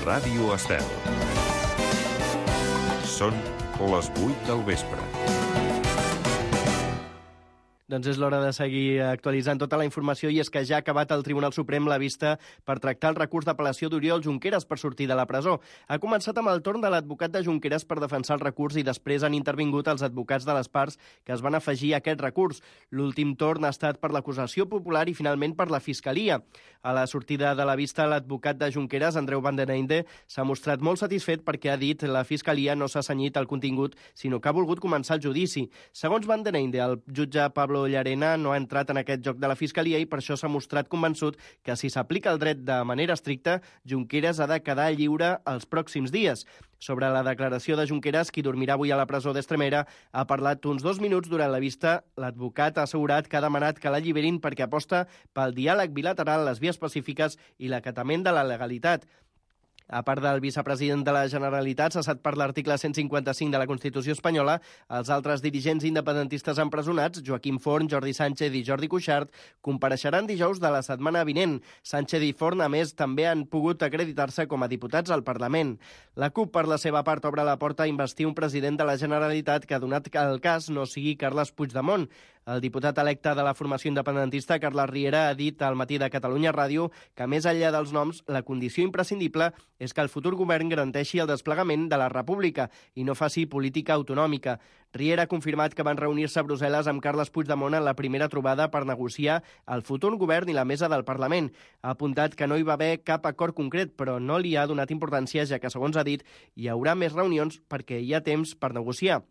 Ràdio Estel. Són les 8 del vespre. Doncs és l'hora de seguir actualitzant tota la informació i és que ja ha acabat el Tribunal Suprem la vista per tractar el recurs d'apel·lació d'Oriol Junqueras per sortir de la presó. Ha començat amb el torn de l'advocat de Junqueras per defensar el recurs i després han intervingut els advocats de les parts que es van afegir a aquest recurs. L'últim torn ha estat per l'acusació popular i finalment per la Fiscalia. A la sortida de la vista, l'advocat de Junqueras, Andreu Van den Einde, s'ha mostrat molt satisfet perquè ha dit la Fiscalia no s'ha cenyit al contingut, sinó que ha volgut començar el judici. Segons Van den Einde, el jutge Pablo Llarena no ha entrat en aquest joc de la Fiscalia i per això s'ha mostrat convençut que si s'aplica el dret de manera estricta, Junqueras ha de quedar lliure els pròxims dies. Sobre la declaració de Junqueras, qui dormirà avui a la presó d'Estremera, ha parlat uns 2 minuts durant la vista. L'advocat ha assegurat que ha demanat que l'alliberin perquè aposta pel diàleg bilateral, les vies pacífiques i l'acatament de la legalitat. A part del vicepresident de la Generalitat, cessat per l'article 155 de la Constitució espanyola, els altres dirigents independentistes empresonats, Joaquim Forn, Jordi Sánchez i Jordi Cuixart, compareixeran dijous de la setmana vinent. Sánchez i Forn, a més, també han pogut acreditar-se com a diputats al Parlament. La CUP, per la seva part, obre la porta a investir un president de la Generalitat que, donat que el cas no sigui Carles Puigdemont. El diputat electe de la formació independentista, Carles Riera, ha dit al Matí de Catalunya Ràdio que, més enllà dels noms, la condició imprescindible és que el futur govern garanteixi el desplegament de la República i no faci política autonòmica. Riera ha confirmat que van reunir-se a Brussel·les amb Carles Puigdemont en la primera trobada per negociar el futur govern i la mesa del Parlament. Ha apuntat que no hi va haver cap acord concret, però no li ha donat importància, ja que, segons ha dit, hi haurà més reunions perquè hi ha temps per negociar.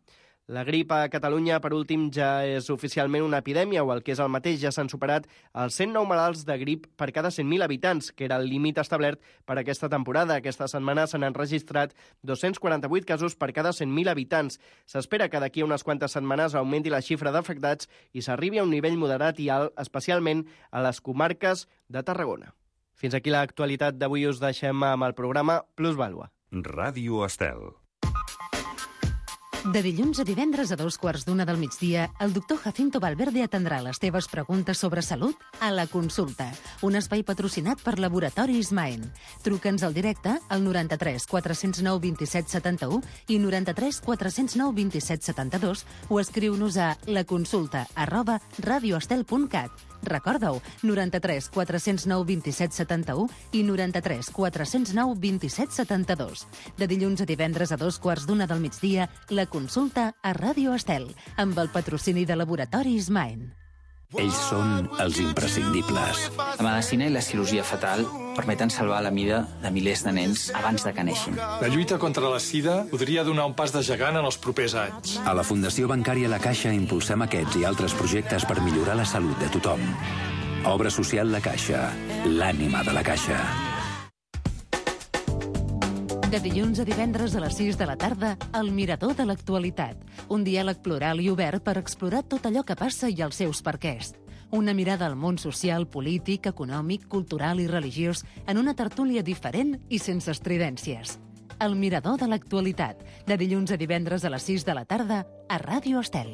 La grip a Catalunya, per últim, ja és oficialment una epidèmia, o el que és el mateix, ja s'han superat els 109 malalts de grip per cada 100.000 habitants, que era el límit establert per aquesta temporada. Aquesta setmana se n'han registrat 248 casos per cada 100.000 habitants. S'espera que d'aquí a unes quantes setmanes augmenti la xifra d'afectats i s'arribi a un nivell moderat i alt, especialment a les comarques de Tarragona. Fins aquí l'actualitat d'avui. Us deixem amb el programa Plusvàlua. Ràdio Estel. De dilluns a divendres a 2:15 del migdia, el doctor Jacinto Valverde atendrà les teves preguntes sobre salut a La Consulta, un espai patrocinat per Laboratoris Maen. Truca'ns al directe al 93 409 27 71 i 93 409 27 72 o escriu-nos a laconsulta@radioestel.cat. Recorda-ho, 93 409 27 71 i 93 409 27 72. De dilluns a divendres a 2:15 del migdia, La Consulta a Ràdio Estel, amb el patrocini de Laboratoris Maen. Ells són els imprescindibles. La medicina i la cirurgia fetal permeten salvar la vida de milers de nens abans de que neixin. La lluita contra la sida podria donar un pas de gegant en els propers anys. A la Fundació Bancària La Caixa impulsem aquests i altres projectes per millorar la salut de tothom. Obra social La Caixa, l'ànima de la Caixa. De dilluns a divendres a les 6 de la tarda, El Mirador de l'Actualitat. Un diàleg plural i obert per explorar tot allò que passa i els seus perquès. Una mirada al món social, polític, econòmic, cultural i religiós en una tertúlia diferent i sense estridències. El Mirador de l'Actualitat. De dilluns a divendres a les 6 de la tarda a Ràdio Estel.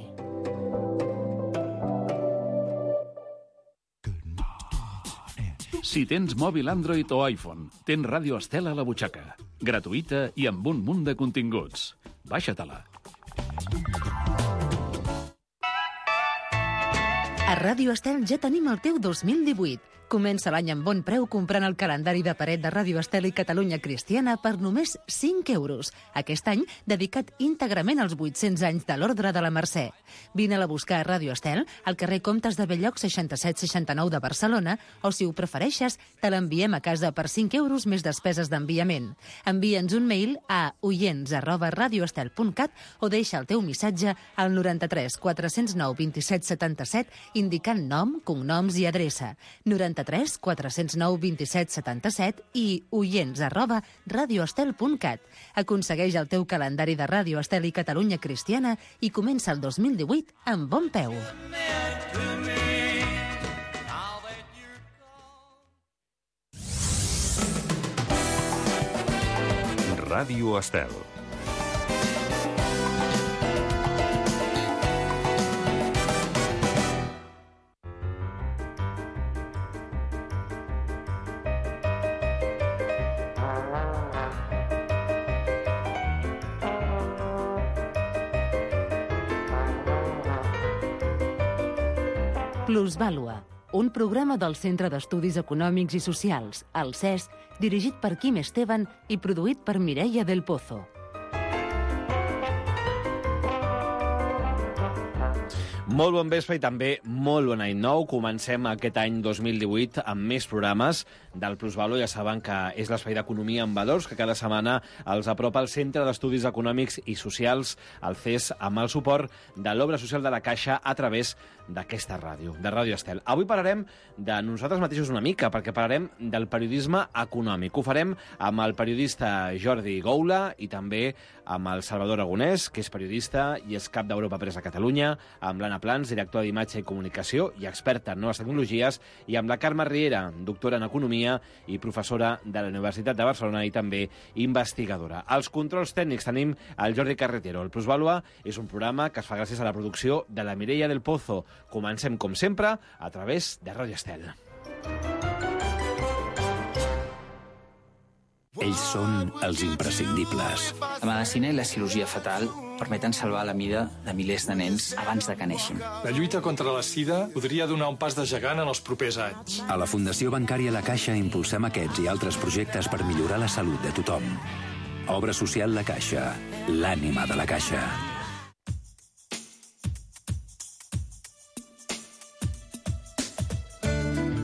Si tens mòbil Android o iPhone, tens Ràdio Estel a la butxaca. Gratuïta i amb un munt de continguts. Baixa-te-la. A Ràdio Estel ja tenim el teu 2018. Comença l'any amb bon preu comprant el calendari de paret de Ràdio Estel i Catalunya Cristiana per només 5 euros. Aquest any dedicat íntegrament als 800 anys de l'Ordre de la Mercè. Vine-la a buscar a Ràdio Estel, al carrer Comtes de Belllloc 6769 de Barcelona, o si ho prefereixes, te l'enviem a casa per 5 euros més despeses d'enviament. Envia'ns un mail a oients@radioestel.cat o deixa el teu missatge al 93 409 27 77 indicant nom, cognoms i adreça. 93 409 27 77 i oients@radioestel.cat. Aconsegueix el teu calendari de Ràdio Estel i Catalunya Cristiana i comença el 2018 amb bon peu. Ràdio Estel. Plusvàlua, un programa del Centre d'Estudis Econòmics i Socials, el CES, dirigit per Quim Esteban i produït per Mireia del Pozo. Molt bon vespre i també molt bon any nou. Comencem aquest any 2018 amb més programes del Plusvàlua. Ja saben que és l'espai d'economia en valors que cada setmana els apropa el Centre d'Estudis Econòmics i Socials, el CES, amb el suport de l'Obra Social de la Caixa a través d'aquesta ràdio, de Ràdio Estel. Avui parlarem de nosaltres mateixos una mica, perquè parlarem del periodisme econòmic. Ho farem amb el periodista Jordi Goula i també amb el Salvador Aragonès, que és periodista i és cap d'Europa Press a Catalunya, amb l'Anna Plans, directora d'Imatge i Comunicació i experta en noves tecnologies, i amb la Carme Riera, doctora en Economia i professora de la Universitat de Barcelona i també investigadora. Als controls tècnics tenim el Jordi Carretero. El Plusvàlua és un programa que es fa gràcies a la producció de la Mireia del Pozo. Comencem, com sempre, a través de Ràdio Estel. Ells són els imprescindibles. La medicina i la cirurgia fetal permeten salvar la vida de milers de nens abans de que neixin. La lluita contra la sida podria donar un pas de gegant en els propers anys. A la Fundació Bancària La Caixa impulsem aquests i altres projectes per millorar la salut de tothom. Obra social La Caixa, l'ànima de la Caixa.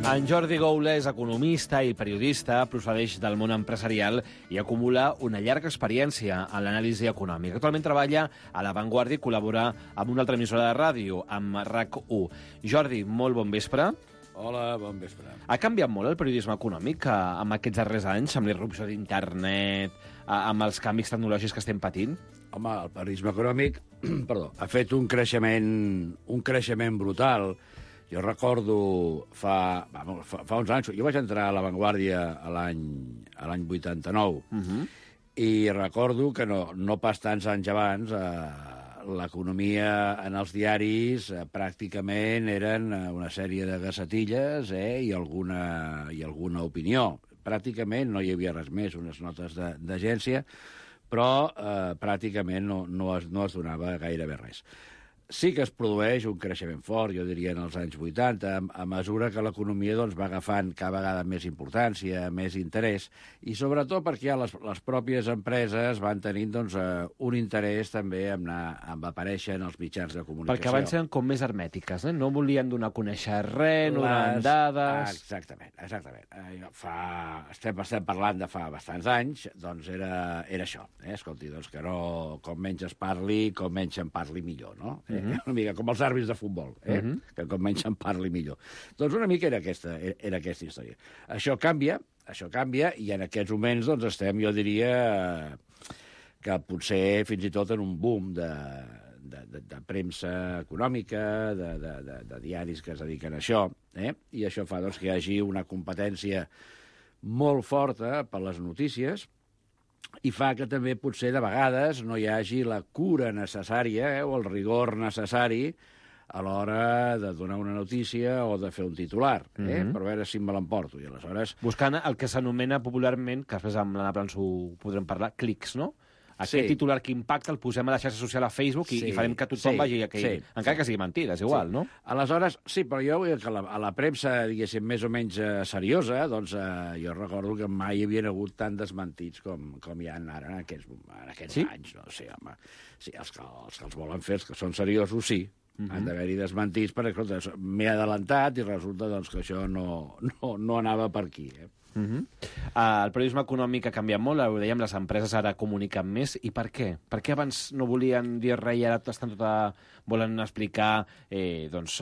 En Jordi Goula és economista i periodista, procedeix del món empresarial i acumula una llarga experiència en l'anàlisi econòmica. Actualment treballa a La Vanguardia i col·labora amb una altra emissora de ràdio, amb RAC1. Jordi, molt bon vespre. Hola, bon vespre. Ha canviat molt el periodisme econòmic amb aquests darrers anys, amb l'irrupció d'internet, amb els canvis tecnològics que estem patint? Home, el periodisme econòmic ha fet un creixement brutal. Jo recordo fa uns anys, jo vaig entrar a La Vanguardia l'any 89, i recordo que no pas tants anys abans l'economia en els diaris pràcticament eren una sèrie de gacetilles i alguna opinió. Pràcticament no hi havia res més, unes notes d'agència, però pràcticament no es donava gairebé res. Sí que es produeix un creixement fort, jo diria, en els anys 80, a mesura que l'economia va agafant cada vegada més importància, més interès, i sobretot perquè ja les pròpies empreses van tenint un interès també en aparèixer en els mitjans de comunicació. Perquè abans eren com més hermètiques, no volien donar a conèixer res, no donaven dades... Exactament. Estem parlant de fa bastants anys, doncs era això. Escolti, que no, com menys es parli, com menys en parli millor, no? Una mica com els àrbitres de futbol, que com menys en parli millor. Doncs una mica era aquesta història. Això canvia, i en aquests moments estem, jo diria, que potser fins i tot en un boom de premsa econòmica, de diaris que es dediquen a això, i això fa que hi hagi una competència molt forta per les notícies, i fa que també potser de vegades no hi hagi la cura necessària o el rigor necessari a l'hora de donar una notícia o de fer un titular, per veure si me l'emporto. I aleshores... Buscant el que s'anomena popularment, que després amb l'Anna Plans ho podrem parlar, clics, no? Aquest titular que impacta el posem a la xarxa social a Facebook i farem que tothom vagi a aquell... Encara que sigui mentida, és igual, no? Aleshores, sí, però jo vull dir que a la premsa, diguéssim, més o menys seriosa, jo recordo que mai hi havia hagut tant desmentits com hi ha ara en aquests anys. No? Sí, home, sí, els que els volen fer, els que són seriosos, sí. Han d'haver-hi desmentits, perquè m'he adelantat i resulta que això no anava per aquí, El periodisme econòmic ha canviat molt, ho dèiem, les empreses ara comuniquen més. I per què? Per què abans no volien dir res i ara volen explicar els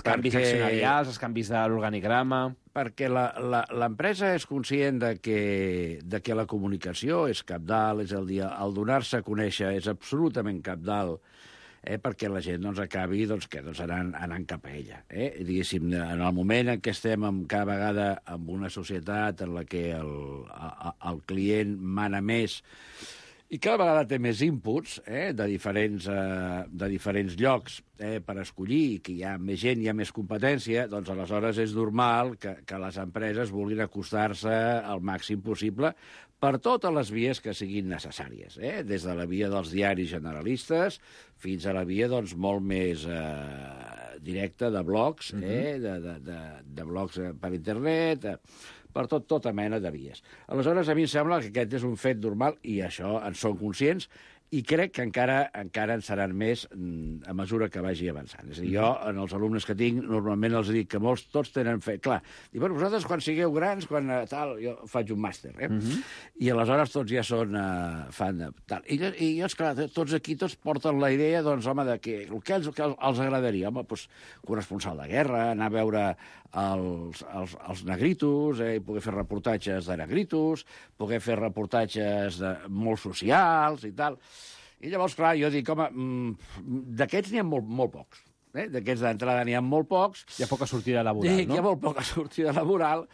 canvis accionarials, els canvis de l'organigrama? Perquè l'empresa és conscient de que la comunicació és cabdal, és el donar-se a conèixer és absolutament cabdal, perquè la gent acabi anant cap a ella. Diguéssim, en el moment en què estem cada vegada en una societat en la que el client mana més i cada vegada té més inputs de diferents llocs per escollir, que hi ha més gent, hi ha més competència, doncs aleshores és normal que les empreses vulguin acostar-se al màxim possible per totes les vies que siguin necessàries, des de la via dels diaris generalistes fins a la via molt més directe, de blogs, de blogs per internet, per tota mena de vies. Aleshores, a mi em sembla que aquest és un fet normal i això en són conscients i crec que encara en seran més a mesura que vagi avançant. És a dir, jo, en els alumnes que tinc, normalment els dic que molts, tots tenen fet. Clar, dic, bueno, vosaltres quan sigueu grans, quan tal, jo faig un màster, i aleshores tots ja són fan de tal. I jo, esclar, tots aquí, tots porten la idea, doncs, home, de que els agradaria, home, doncs, corresponsal de guerra, anar a veure els negritos, poder fer reportatges de negritos, poder fer reportatges molt socials i tal. I llavors, clar, jo dic, home, d'aquests n'hi ha molt pocs. D'aquests d'entrada n'hi ha molt pocs. Hi ha poca sortida laboral, no? Hi ha molt poca sortida laboral.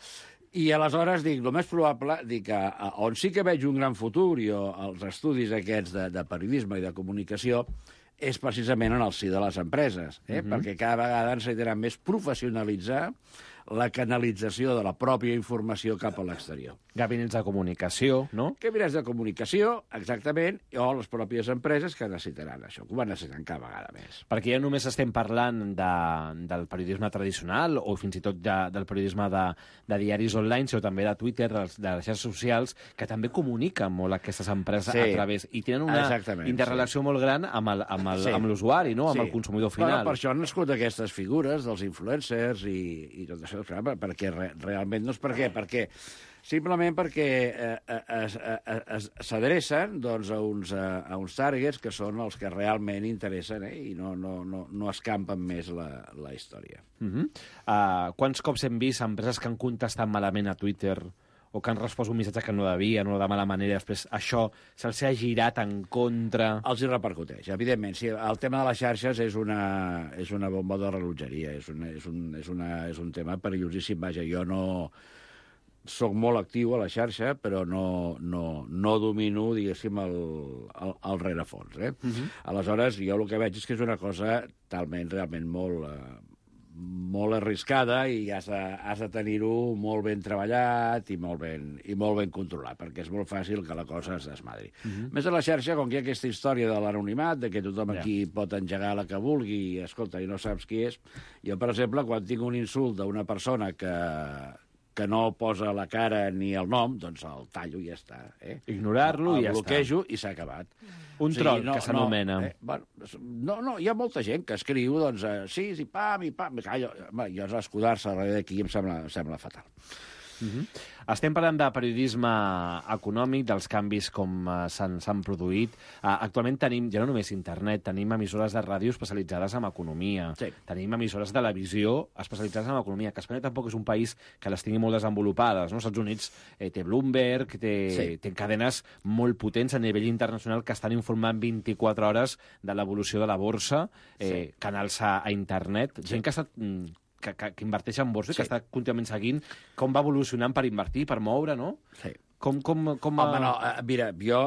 I aleshores dic, el més probable, dic, on sí que veig un gran futur, jo, els estudis aquests de periodisme i de comunicació, és precisament en el si de les empreses, perquè cada vegada ens anirà més professionalitzar la canalització de la pròpia informació cap a l'exterior. Gabinets de comunicació, no? Gabinets de comunicació, exactament, o les pròpies empreses que necessitaran això, que ho van necessitant cada vegada més. Perquè ja només estem parlant del periodisme tradicional o fins i tot del periodisme de diaris online, sinó també de Twitter, de les xarxes socials, que també comuniquen molt aquestes empreses a través, i tenen una interrelació molt gran amb l'usuari, no? Amb el consumidor final. Per això han nascut aquestes figures dels influencers i tot això, perquè realment no és per què, simplement perquè s'adrecen doncs, a uns targets que són els que realment interessen i no escampen més la història. Quants cops hem vist empreses que han contestat malament a Twitter o que han respost un missatge que no devien o de mala manera, després això se'ls ha girat en contra? Els hi repercuteix, evidentment. Sí, el tema de les xarxes és una bomba de rellotgeria, és un tema perillosíssim. Vaja, jo no soc molt actiu a la xarxa, però no domino, diguéssim, el rerefons. Aleshores, jo el que veig és que és una cosa realment molt arriscada i has de tenir-ho molt ben treballat i molt ben controlat, perquè és molt fàcil que la cosa es desmadri. Més a la xarxa, com que hi ha aquesta història de l'anonimat, de que tothom aquí pot engegar la que vulgui i, escolta, i no saps qui és, jo, per exemple, quan tinc un insult d'una persona que no posa la cara ni el nom, doncs el tallo i ja està. Ignorar-lo i ja està. El bloquejo i s'ha acabat. Un troll, que s'anomena. No, hi ha molta gent que escriu, doncs, sí, pam, i pam. Jo escudar-se darrere d'aquí em sembla fatal. Estem parlant de periodisme econòmic, dels canvis com s'han produït. Actualment tenim, ja no només internet, tenim emissores de ràdio especialitzades en economia, tenim emissores de televisió especialitzades en economia, que Espanya tampoc és un país que les tingui molt desenvolupades, no? Els Estats Units té Bloomberg, té cadenes molt potents a nivell internacional que estan informant 24 hores de l'evolució de la borsa, canals a internet, gent que ha estat que inverteix en borsa i que està contínuament seguint com va evolucionant per invertir, per moure, no? Sí. Home, no, mira, jo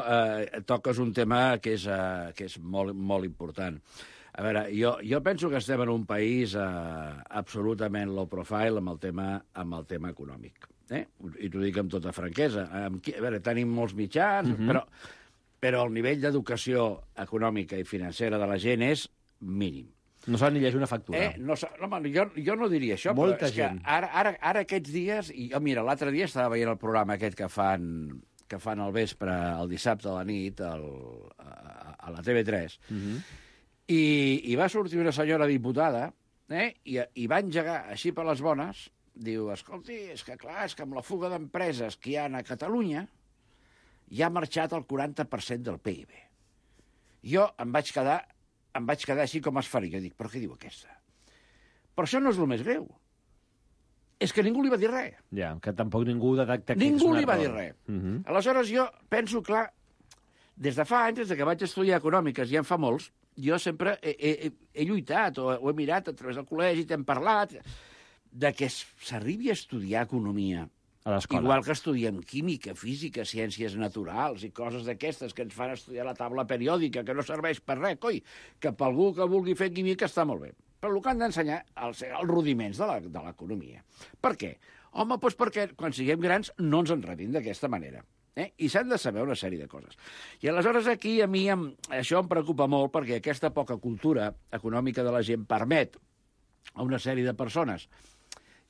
toques un tema que és molt important. A veure, jo penso que estem en un país absolutament low profile amb el tema econòmic. I t'ho dic amb tota franquesa. A veure, tenim molts mitjans, però el nivell d'educació econòmica i financera de la gent és mínim. No saben ni llegir una factura. Jo no diria això, molta però és gent. Que ara aquests dies... Mira, l'altre dia estava veient el programa aquest que fan al vespre, el dissabte a la nit, a la TV3, i va sortir una senyora diputada i va engegar així per les bones, diu, escolti, és que amb la fuga d'empreses que hi ha a Catalunya ja ha marxat el 40% del PIB. Jo em vaig quedar així com esfèric. Jo dic, però què diu aquesta? Però això no és el més greu. És que ningú li va dir res. Ja, que tampoc ningú detecta que ningú li va dir res. Aleshores, jo penso, clar, des de fa anys, des que vaig estudiar econòmiques, ja en fa molts, jo sempre he lluitat, o he mirat a través del col·legi, t'hem parlat, de que s'arribi a estudiar economia. Igual que estudiem química, física, ciències naturals i coses d'aquestes que ens fan estudiar la taula periòdica, que no serveix per res, que per algú que vulgui fer química està molt bé. Però el que han d'ensenyar els rudiments de l'economia. Per què? Home, doncs perquè quan siguem grans no ens enredin d'aquesta manera. I s'han de saber una sèrie de coses. I aleshores aquí a mi això em preocupa molt perquè aquesta poca cultura econòmica de la gent permet a una sèrie de persones,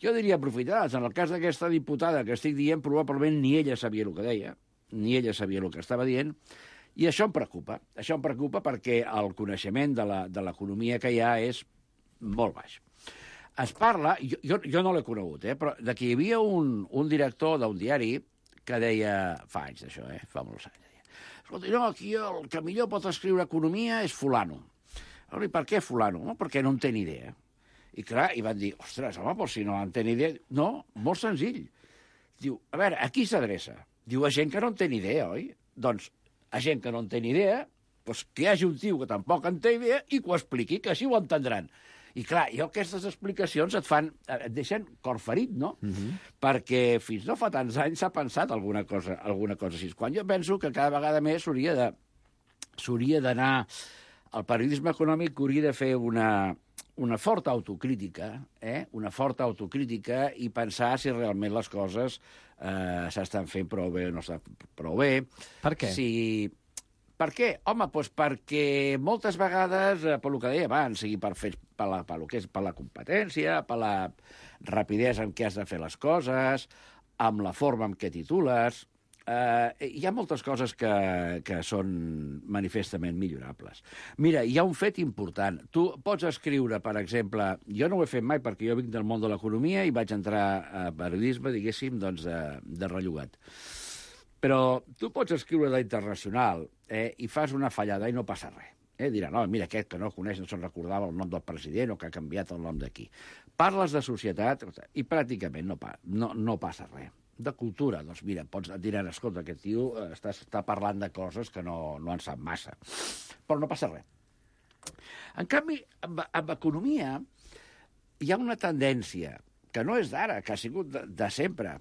jo diria aprofitades. En el cas d'aquesta diputada que estic dient, probablement ni ella sabia el que deia, ni ella sabia el que estava dient, i això em preocupa. Això em preocupa perquè el coneixement de l'economia que hi ha és molt baix. Es parla, jo no l'he conegut, però de que hi havia un director d'un diari que deia, fa anys d'això, fa molts anys, deia, escolta, no, aquí el que millor pot escriure economia és fulano. I per què fulano? No, perquè no en té ni idea. I clar, i van dir, ostres, home, però si no en té ni idea... No, molt senzill. Diu, a veure, a qui s'adreça? Diu, a gent que no en té ni idea, oi? Doncs, a gent que no en té ni idea, doncs que hi hagi un tio que tampoc en té idea i que ho expliqui, que així ho entendran. I clar, aquestes explicacions et deixen cor ferit, no? Perquè fins no fa tants anys s'ha pensat alguna cosa així. Quan jo penso que cada vegada més s'hauria d'anar... El periodisme econòmic hauria de fer una forta autocrítica, una forta autocrítica i pensar si realment les coses s'estan fent prou bé o no estan prou bé. Per què? Per què? Home, doncs perquè moltes vegades, per lo que deia abans, sigui per la competència, per la rapidesa amb què has de fer les coses, amb la forma en què titules... hi ha moltes coses que són manifestament millorables. Mira, hi ha un fet important. Tu pots escriure, per exemple... Jo no ho he fet mai perquè jo vinc del món de l'economia i vaig entrar a periodisme, diguéssim, doncs, de rellogat. Però tu pots escriure d'Internacional i fas una fallada i no passa res. Dirà, no, mira, aquest que no coneix no se'n recordava el nom del president o que ha canviat el nom d'aquí. Parles de societat i pràcticament no passa res. De cultura, doncs mira, et diran, escolta, aquest tio està parlant de coses que no en sap massa. Però no passa res. En canvi, amb economia hi ha una tendència, que no és d'ara, que ha sigut de sempre,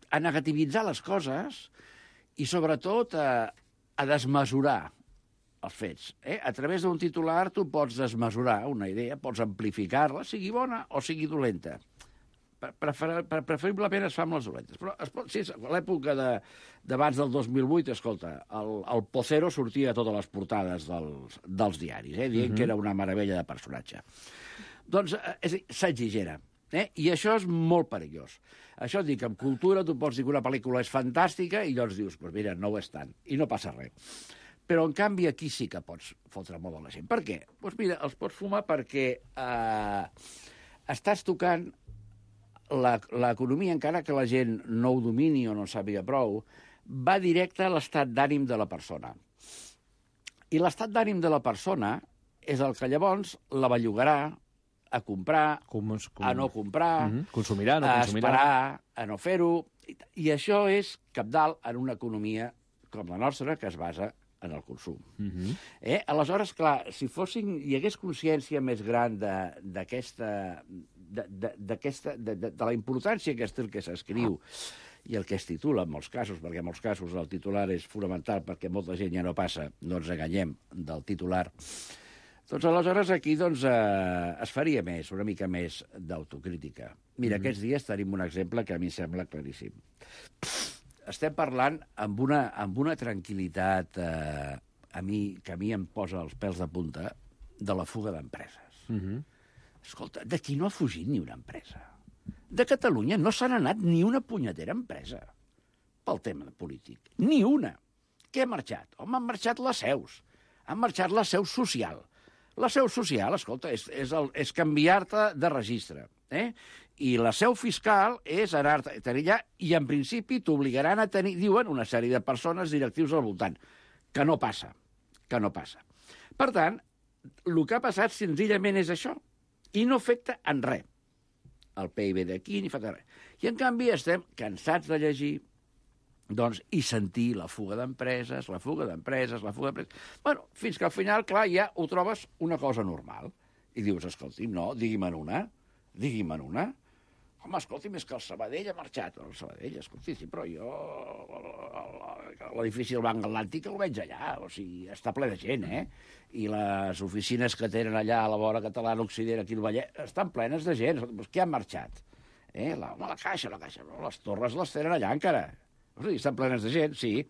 a negativitzar les coses i, sobretot, a desmesurar els fets. A través d'un titular tu pots desmesurar una idea, pots amplificar-la, sigui bona o sigui dolenta. Preferiblement es fa amb les dolentes. Però si és l'època d'abans del 2008, escolta, el Pocero sortia a totes les portades dels diaris, dient que era una meravella de personatge. Doncs s'exigera. I això és molt perillós. Això et dic, en cultura tu pots dir que una pel·lícula és fantàstica i llavors dius, doncs mira, no ho és tant, i no passa res. Però, en canvi, aquí sí que pots fotre molt a la gent. Per què? Doncs mira, els pots fumar perquè estàs tocant l'economia, encara que la gent no ho domini o no sàpiga prou, va directe a l'estat d'ànim de la persona. I l'estat d'ànim de la persona és el que llavors la bellugarà a comprar, a no comprar, consumirà, no a consumirà, esperar, a no fer-ho. I això és cabdal en una economia com la nostra, que es basa en el consum. Aleshores, clar, si hi hagués consciència més gran de la importància que és el que s'escriu i el que es titula en molts casos, perquè en molts casos el titular és fonamental perquè molta gent ja no passa, no ens enganyem, del titular, doncs aleshores aquí es faria més, una mica més d'autocrítica. Mira, aquests dies tenim un exemple que a mi sembla claríssim. Estem parlant amb una tranquil·litat que a mi em posa els pèls de punta de la fuga d'empreses. Escolta, d'aquí no ha fugit ni una empresa. De Catalunya no se n'ha anat ni una punyetera empresa pel tema polític. Ni una. Què ha marxat? Home, han marxat les seus. Han marxat la seu social. La seu social, escolta, és canviar-te de registre. I la seu fiscal és anar-te a tenir allà i, en principi, t'obligaran a tenir, diuen, una sèrie de persones directius al voltant. Que no passa. Que no passa. Per tant, el que ha passat senzillament és això. I no afecta en res. El PIB d'aquí ni fa res. I, en canvi, estem cansats de llegir i sentir la fuga d'empreses, la fuga d'empreses, la fuga d'empreses... Bueno, fins que al final, clar, ja ho trobes una cosa normal. I dius, escolti'm, no, digui'm una. Home, escolti'm, és que el Sabadell ha marxat. El Sabadell, escolti, sí, però jo... L'edifici del Banc Atlàntic el veig allà, o sigui, està ple de gent, I les oficines que tenen allà a la vora catalana, Occident, aquí al Vallès, estan plenes de gent. Què han marxat? La caixa, les torres les tenen allà encara. O sigui, estan plenes de gent, sí.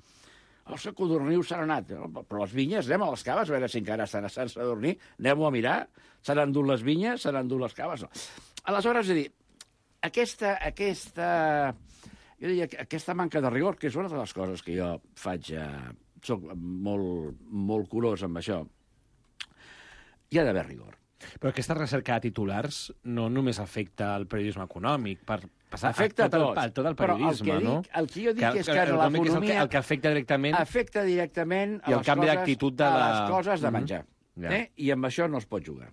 Els codornius s'han anat. Però les vinyes, anem a les caves, a veure si encara estan a Sant Sadurní, anem-ho a mirar, s'han endut les vinyes, s'han endut les caves. No. Aleshores, és a dir, jo diria que aquesta manca de rigor, que és una de les coses que jo faig, soc molt curós amb això, hi ha d'haver rigor. Però aquesta recerca de titulars no només afecta el periodisme econòmic, afecta tot el periodisme, no? El que jo dic és que en l'economia... El que afecta directament... Afecta directament a les coses de menjar. I amb això no es pot jugar.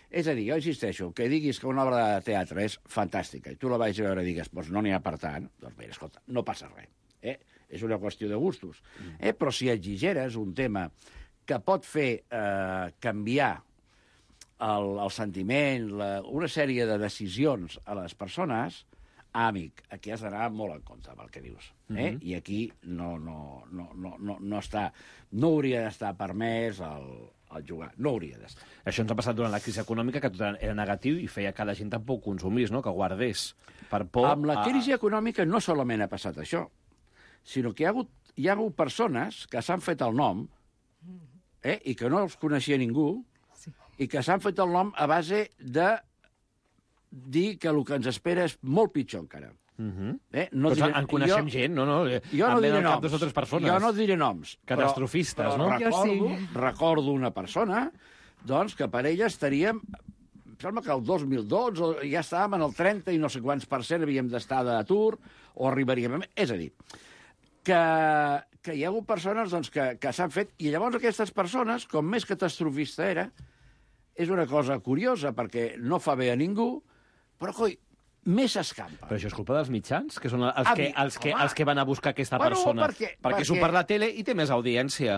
És a dir, jo insisteixo, que diguis que una obra de teatre és fantàstica i tu la vagis a veure i digues, doncs no n'hi ha per tant, doncs bé, escolta, no passa res. És una qüestió de gustos. Però si exigeres un tema que pot fer canviar el sentiment, una sèrie de decisions a les persones, amic, aquí has d'anar molt en compte amb el que dius. I aquí no hauria d'estar permès el jugar. No hauria d'estar. Això ens ha passat durant la crisi econòmica, que tot era negatiu i feia que la gent tampoc consumís, no? Que guardés per por... Amb la crisi econòmica no solament ha passat això, sinó que hi ha hagut persones que s'han fet el nom i que no els coneixia ningú, i que s'han fet el nom a base de dir que el que ens espera és molt pitjor encara. En coneixem gent, no? Jo no diré noms. Dues o tres persones. Jo no diré noms. Catastrofistes, no? Recordo una persona doncs, que per ella estaríem... Em sembla que el 2012 ja estàvem en el 30 i no sé quants % havíem d'estar d'atur, o arribaríem... És a dir, que hi ha hagut persones doncs, que s'han fet... I llavors aquestes persones, com més catastrofista era, és una cosa curiosa, perquè no fa bé a ningú, però, coi, més s'escampa. Però això és culpa dels mitjans, que són els que van a buscar aquesta persona. Perquè surt per la tele i té més audiència.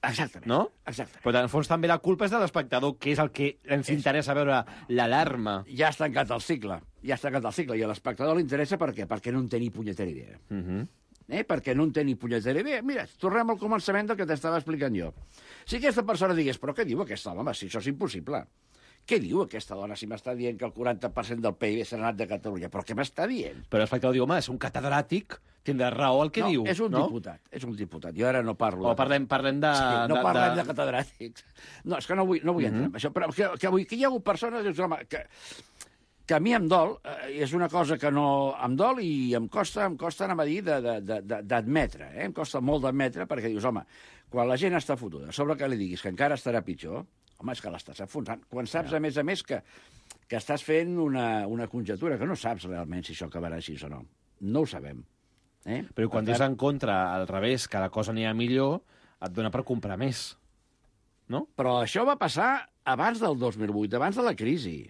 Exactament. No? Exactament. Però, en fons, també la culpa és de l'espectador, que és el que ens interessa veure l'alarma. Ja està tancat el cicle. I a l'espectador li interessa per què? Perquè no en té ni punyetera idea. Perquè no en té ni punyetera idea. Mira, tornem al començament del que t'estava explicant jo. Si aquesta persona digués, però què diu aquesta dona? Si això és impossible. Què diu aquesta dona si m'està dient que el 40% del PIB s'ha anat de Catalunya? Però què m'està dient? Però l'espectador diu, home, és un catedràtic, tindrà raó el que diu. És un diputat, és un diputat. Jo ara no parlo... O parlem de... No parlem de catedràtics. No, és que no vull entrar en això. Però que hi ha hagut persones, dius, home, que a mi em dol, és una cosa que no em dol i em costa anem a dir, d'admetre. Em costa molt d'admetre, perquè dius, home, quan la gent està fotuda, sobre que li diguis que encara estarà pitjor, home, és que l'estàs enfonsant. Quan saps, a més, que estàs fent una conjectura, que no saps realment si això acabarà així o no. No ho sabem. Però quan dius en contra, al revés, que la cosa anirà millor, et dona per comprar més. No? Però això va passar abans del 2008, abans de la crisi.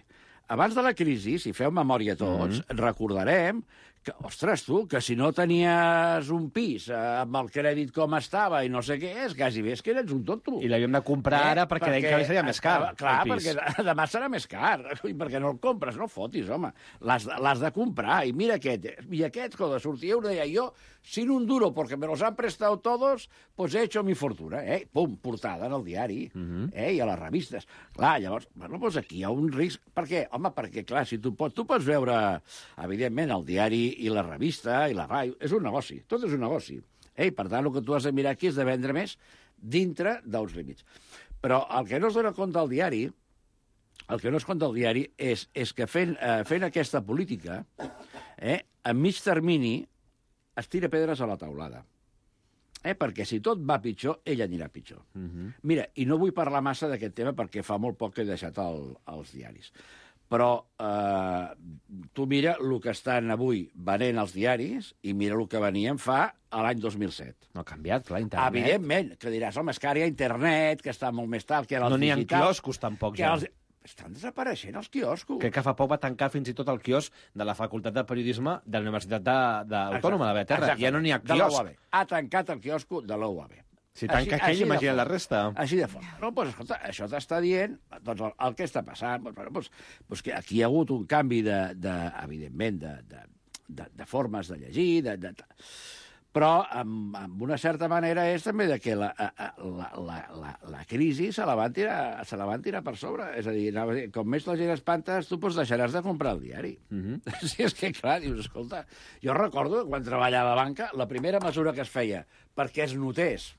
Abans de la crisi, si feu memòria tots, recordarem que, ostres, tu, que si no tenies un pis amb el crèdit com estava i no sé què és, quasi bé és que eres un tonto. I l'havíem de comprar ara perquè deien que seria més car. Clar, perquè demà serà més car. I perquè no el compres, no fotis, home. L'has de comprar. I mira aquest. I aquest, quan sortia, ho deia jo, sin un duro, porque me los han prestado todos, pues he hecho mi fortuna. Pum, portada en el diari. I a les revistes. Clar, llavors, bueno, doncs aquí hi ha un risc. Per què? Home, perquè, clar, si tu pots veure, evidentment, el diari i la revista i la ràdio, és un negoci, tot és un negoci. Per tant, el que tu has de mirar aquí és de vendre més dintre d'uns límits. Però el que no es dona compte al diari, és que fent aquesta política, a mig termini, es tira pedres a la taulada. Perquè si tot va pitjor, ell anirà pitjor. Mira, i no vull parlar massa d'aquest tema perquè fa molt poc que he deixat els diaris. Però tu mira el que estan avui venent els diaris i mira el que venien fa a l'any 2007. No ha canviat, clar, internet. Evidentment, que diràs, home, és que ara hi ha internet, que està molt més tard, que ara no n'hi ha quioscos tampoc, ja. Estan desapareixent els quioscos. Crec que fa poc va tancar fins i tot el quiosc de la Facultat de Periodisme de la Universitat Autònoma de Beterra. Ja no n'hi ha quiosc. Ha tancat el quiosco de l'UAB. Si tanca aquell, imagina la resta. Així de fort. No, doncs, escolta, això t'està dient doncs, el que està passant. Doncs que aquí hi ha hagut un canvi, evidentment, de formes de llegir, Però, amb una certa manera, és també de que la crisi se la van tirar per sobre. És a dir, com més la gent espantes, tu deixaràs de comprar el diari. Si és que, clar, dius, escolta, jo recordo, quan treballava a banca, la primera mesura que es feia perquè es notés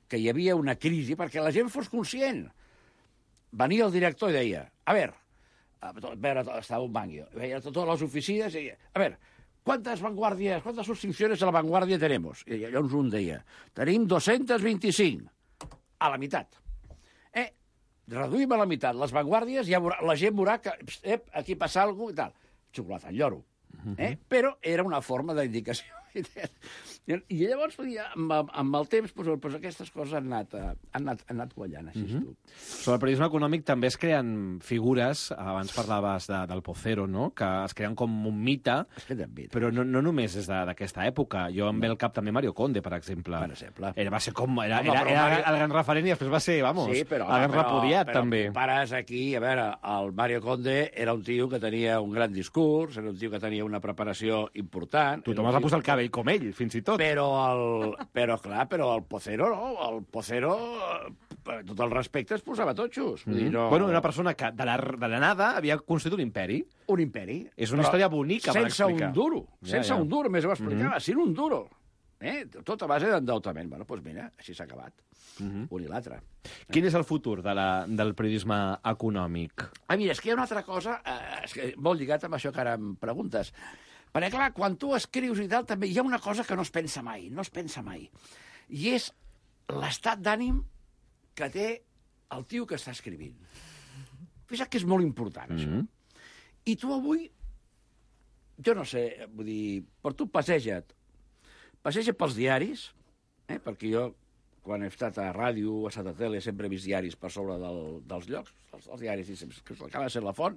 que hi havia una crisi, perquè la gent fos conscient. Venia el director i deia, a veure, estava un banc, veia totes les oficines i deia, a veure, ¿cuántas suscripciones a la Vanguardia tenemos? I llavors un deia, tenim 225, a la meitat. Reduïm a la meitat les Vanguardies, la gent veurà que aquí passa alguna cosa i tal. Xocolata, el lloro. Però era una forma d'indicació. I llavors, amb el temps, aquestes coses han anat quallant, així tu. Sobre el periodisme econòmic també es creen figures, abans parlaves del Pocero, no?, que es creen com un mite, però no només és d'aquesta època. Jo em ve al cap també Mario Conde, per exemple. Va ser com... Era el gran referent i després va ser, el gran repudiat, també. Però pares aquí, a veure, el Mario Conde era un tio que tenia un gran discurs, era un tio que tenia una preparació important... Tothom es va posar el cabell com ell, fins i tot. Però el Pocero, no? El Pocero, per tot el respecte, es posava totxos. Bueno, una persona que de la nada havia construït un imperi. Un imperi. És una història bonica per explicar. Sense un duro. Sense un duro, més ho explicava. Sin un duro. Tot a base d'endeutament. Bueno, doncs mira, així s'ha acabat. Un i l'altre. Quin és el futur del periodisme econòmic? Mira, és que hi ha una altra cosa, molt lligat amb això que ara em preguntes. Perquè, clar, quan tu escrius i tal, també hi ha una cosa que no es pensa mai. I és l'estat d'ànim que té el tio que està escrivint. Fixa't que és molt important, això. I tu avui, jo no sé, vull dir, per tu passeja pels diaris, perquè jo, quan he estat a ràdio, he estat a tele, sempre he vist diaris per sobre dels llocs, els diaris, que acaba de ser la font.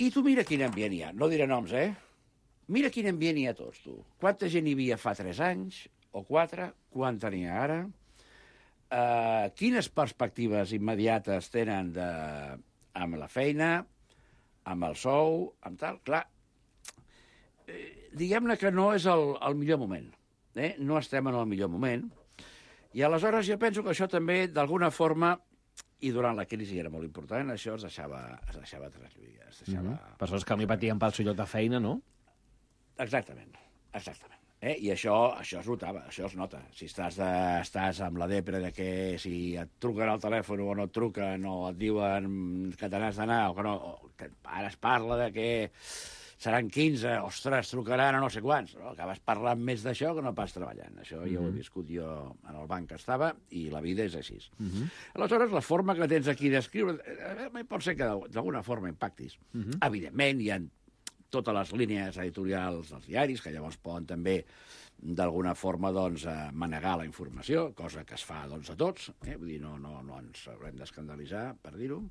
I tu mira quin ambient hi ha. No diré noms, Mira quin ambient hi ha tots, tu. Quanta gent hi havia fa 3 anys o 4? Quanta n'hi ha ara? Quines perspectives immediates tenen amb la feina, amb el sou, amb tal? Clar, diguem-ne que no és el millor moment. No estem en el millor moment. I aleshores jo penso que això també, d'alguna forma, i durant la crisi era molt important, això es deixava traslluir. Persones que no hi patien pel seu lloc de feina, no? Exactament. I això es notava, això es nota. Si estàs amb la depre de que si et truquen al telèfon o no et truquen, o et diuen que te n'has d'anar, o que no, que ara es parla de que seran 15, ostres, trucaran a no sé quants. No? Acabes parlant més d'això que no pas treballant. Això ja ho he viscut jo en el banc que estava, i la vida és així. Aleshores, la forma que tens aquí d'escriure, pot ser que d'alguna forma impactis. Evidentment, hi ha totes les línies editorials dels diaris, que llavors poden també, d'alguna forma, manegar la informació, cosa que es fa a tots. Vull dir, no ens haurem d'escandalitzar, per dir-ho.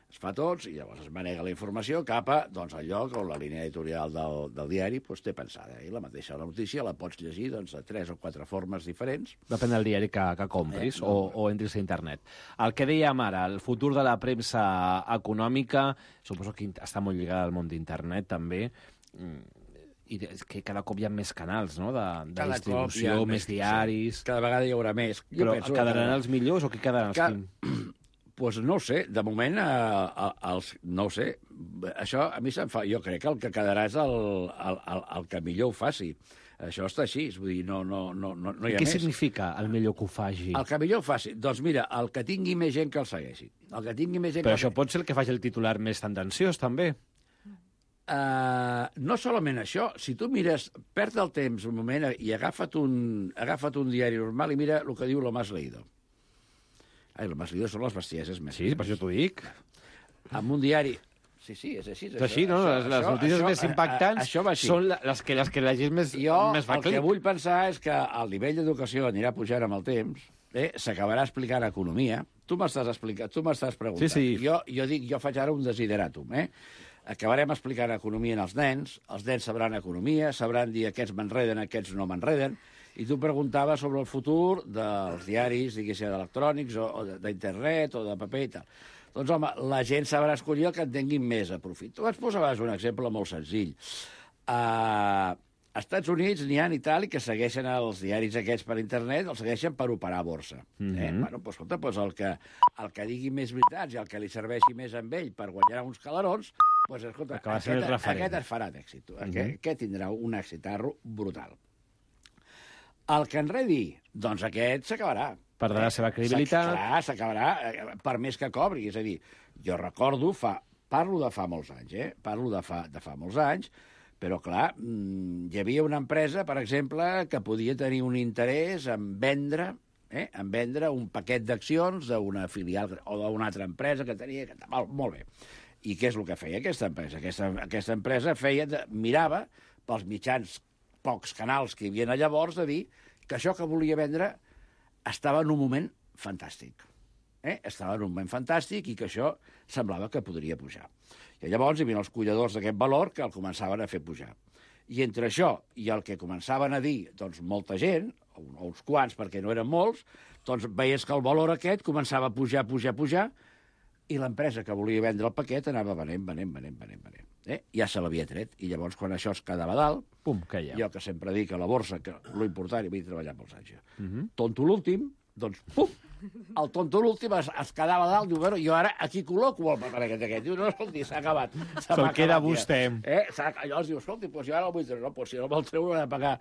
Es fa a tots, i llavors es manega la informació cap a al lloc on la línia editorial del diari té pensada. I la mateixa notícia la pots llegir de 3 o 4 formes diferents. Depèn del diari que compris o entris a internet. El que dèiem ara, el futur de la premsa econòmica, suposo que està molt lligat al món d'internet, també, i que cada cop hi ha més canals, no?, de distribució, més diaris... Cada vegada hi haurà més. Però quedaran els millors o qui quedaran els quins? Doncs no ho sé, de moment, no ho sé. Això a mi se'm fa... Jo crec que el que quedarà és el que millor ho faci. Això està així, vull dir, no hi ha Què més. significa el millor que ho faci? El que millor ho faci? Doncs mira, el que tingui més gent que el segueixi. Però això pot ser el que faci el titular més tendenciós, també. No solament això. Si tu mires, perd el temps un moment i agafa't un diari normal i mira el que diu lo más leído. Lo más leído són les bestieses més. Sí, per això t'ho dic. Amb un diari... Sí, és així. És així, no? Les notícies més impactants són les que la gent més fa clic. El que vull pensar és que el nivell d'educació anirà pujant amb el temps, s'acabarà explicant economia. Tu m'estàs preguntant. Sí. Jo faig ara un desideratum, Acabarem explicant economia als nens sabran economia, sabran dir aquests m'enreden, aquests no m'enreden, i tu preguntaves sobre el futur dels diaris, diguéssim, electrònics, o d'internet, o de paper i tal. Doncs, home, la gent sabrà escollir el que en tinguin més a profit. Tu ens posaves un exemple molt senzill. Als Estats Units n'hi ha i tal, i que segueixen els diaris aquests per internet, els segueixen per operar a borsa. Bueno, doncs, escolta, doncs el que digui més veritats i el que li serveixi més amb ell per guanyar uns calarons, doncs, escolta, aquest es farà d'èxit. Aquest tindrà un èxitarro brutal. El que enredi, doncs aquest s'acabarà. Perdrà la seva credibilitat. S'acabarà, per més que cobri. És a dir, jo recordo, parlo de fa molts anys, parlo de fa molts anys, però, clar, hi havia una empresa, per exemple, que podia tenir un interès en vendre un paquet d'accions d'una filial o d'una altra empresa que tenia... Molt bé. I què és el que feia aquesta empresa? Aquesta empresa mirava pels mitjans, pocs canals que hi havia llavors, de dir que això que volia vendre estava en un moment fantàstic. Estava en un moment fantàstic i que això semblava que podria pujar. I llavors hi havia els colladors d'aquest valor que el començaven a fer pujar. I entre això i el que començaven a dir doncs, molta gent, o uns quants perquè no eren molts, doncs veies que el valor aquest començava a pujar, i l'empresa que volia vendre el paquet anava venent. Ja se l'havia tret. I llavors, quan això es quedava dalt, jo que sempre dic a la borsa que l'important, i vaig treballar molts anys, tonto l'últim, doncs, pum, el tonto l'últim es quedava dalt, diu, bueno, jo ara aquí col·loco el paper aquest. Diu, no, escolti, s'ha acabat. Se'l queda vostè. Llavors diu, escolti, jo ara el vull treure. No, si no me'l treure, he de pagar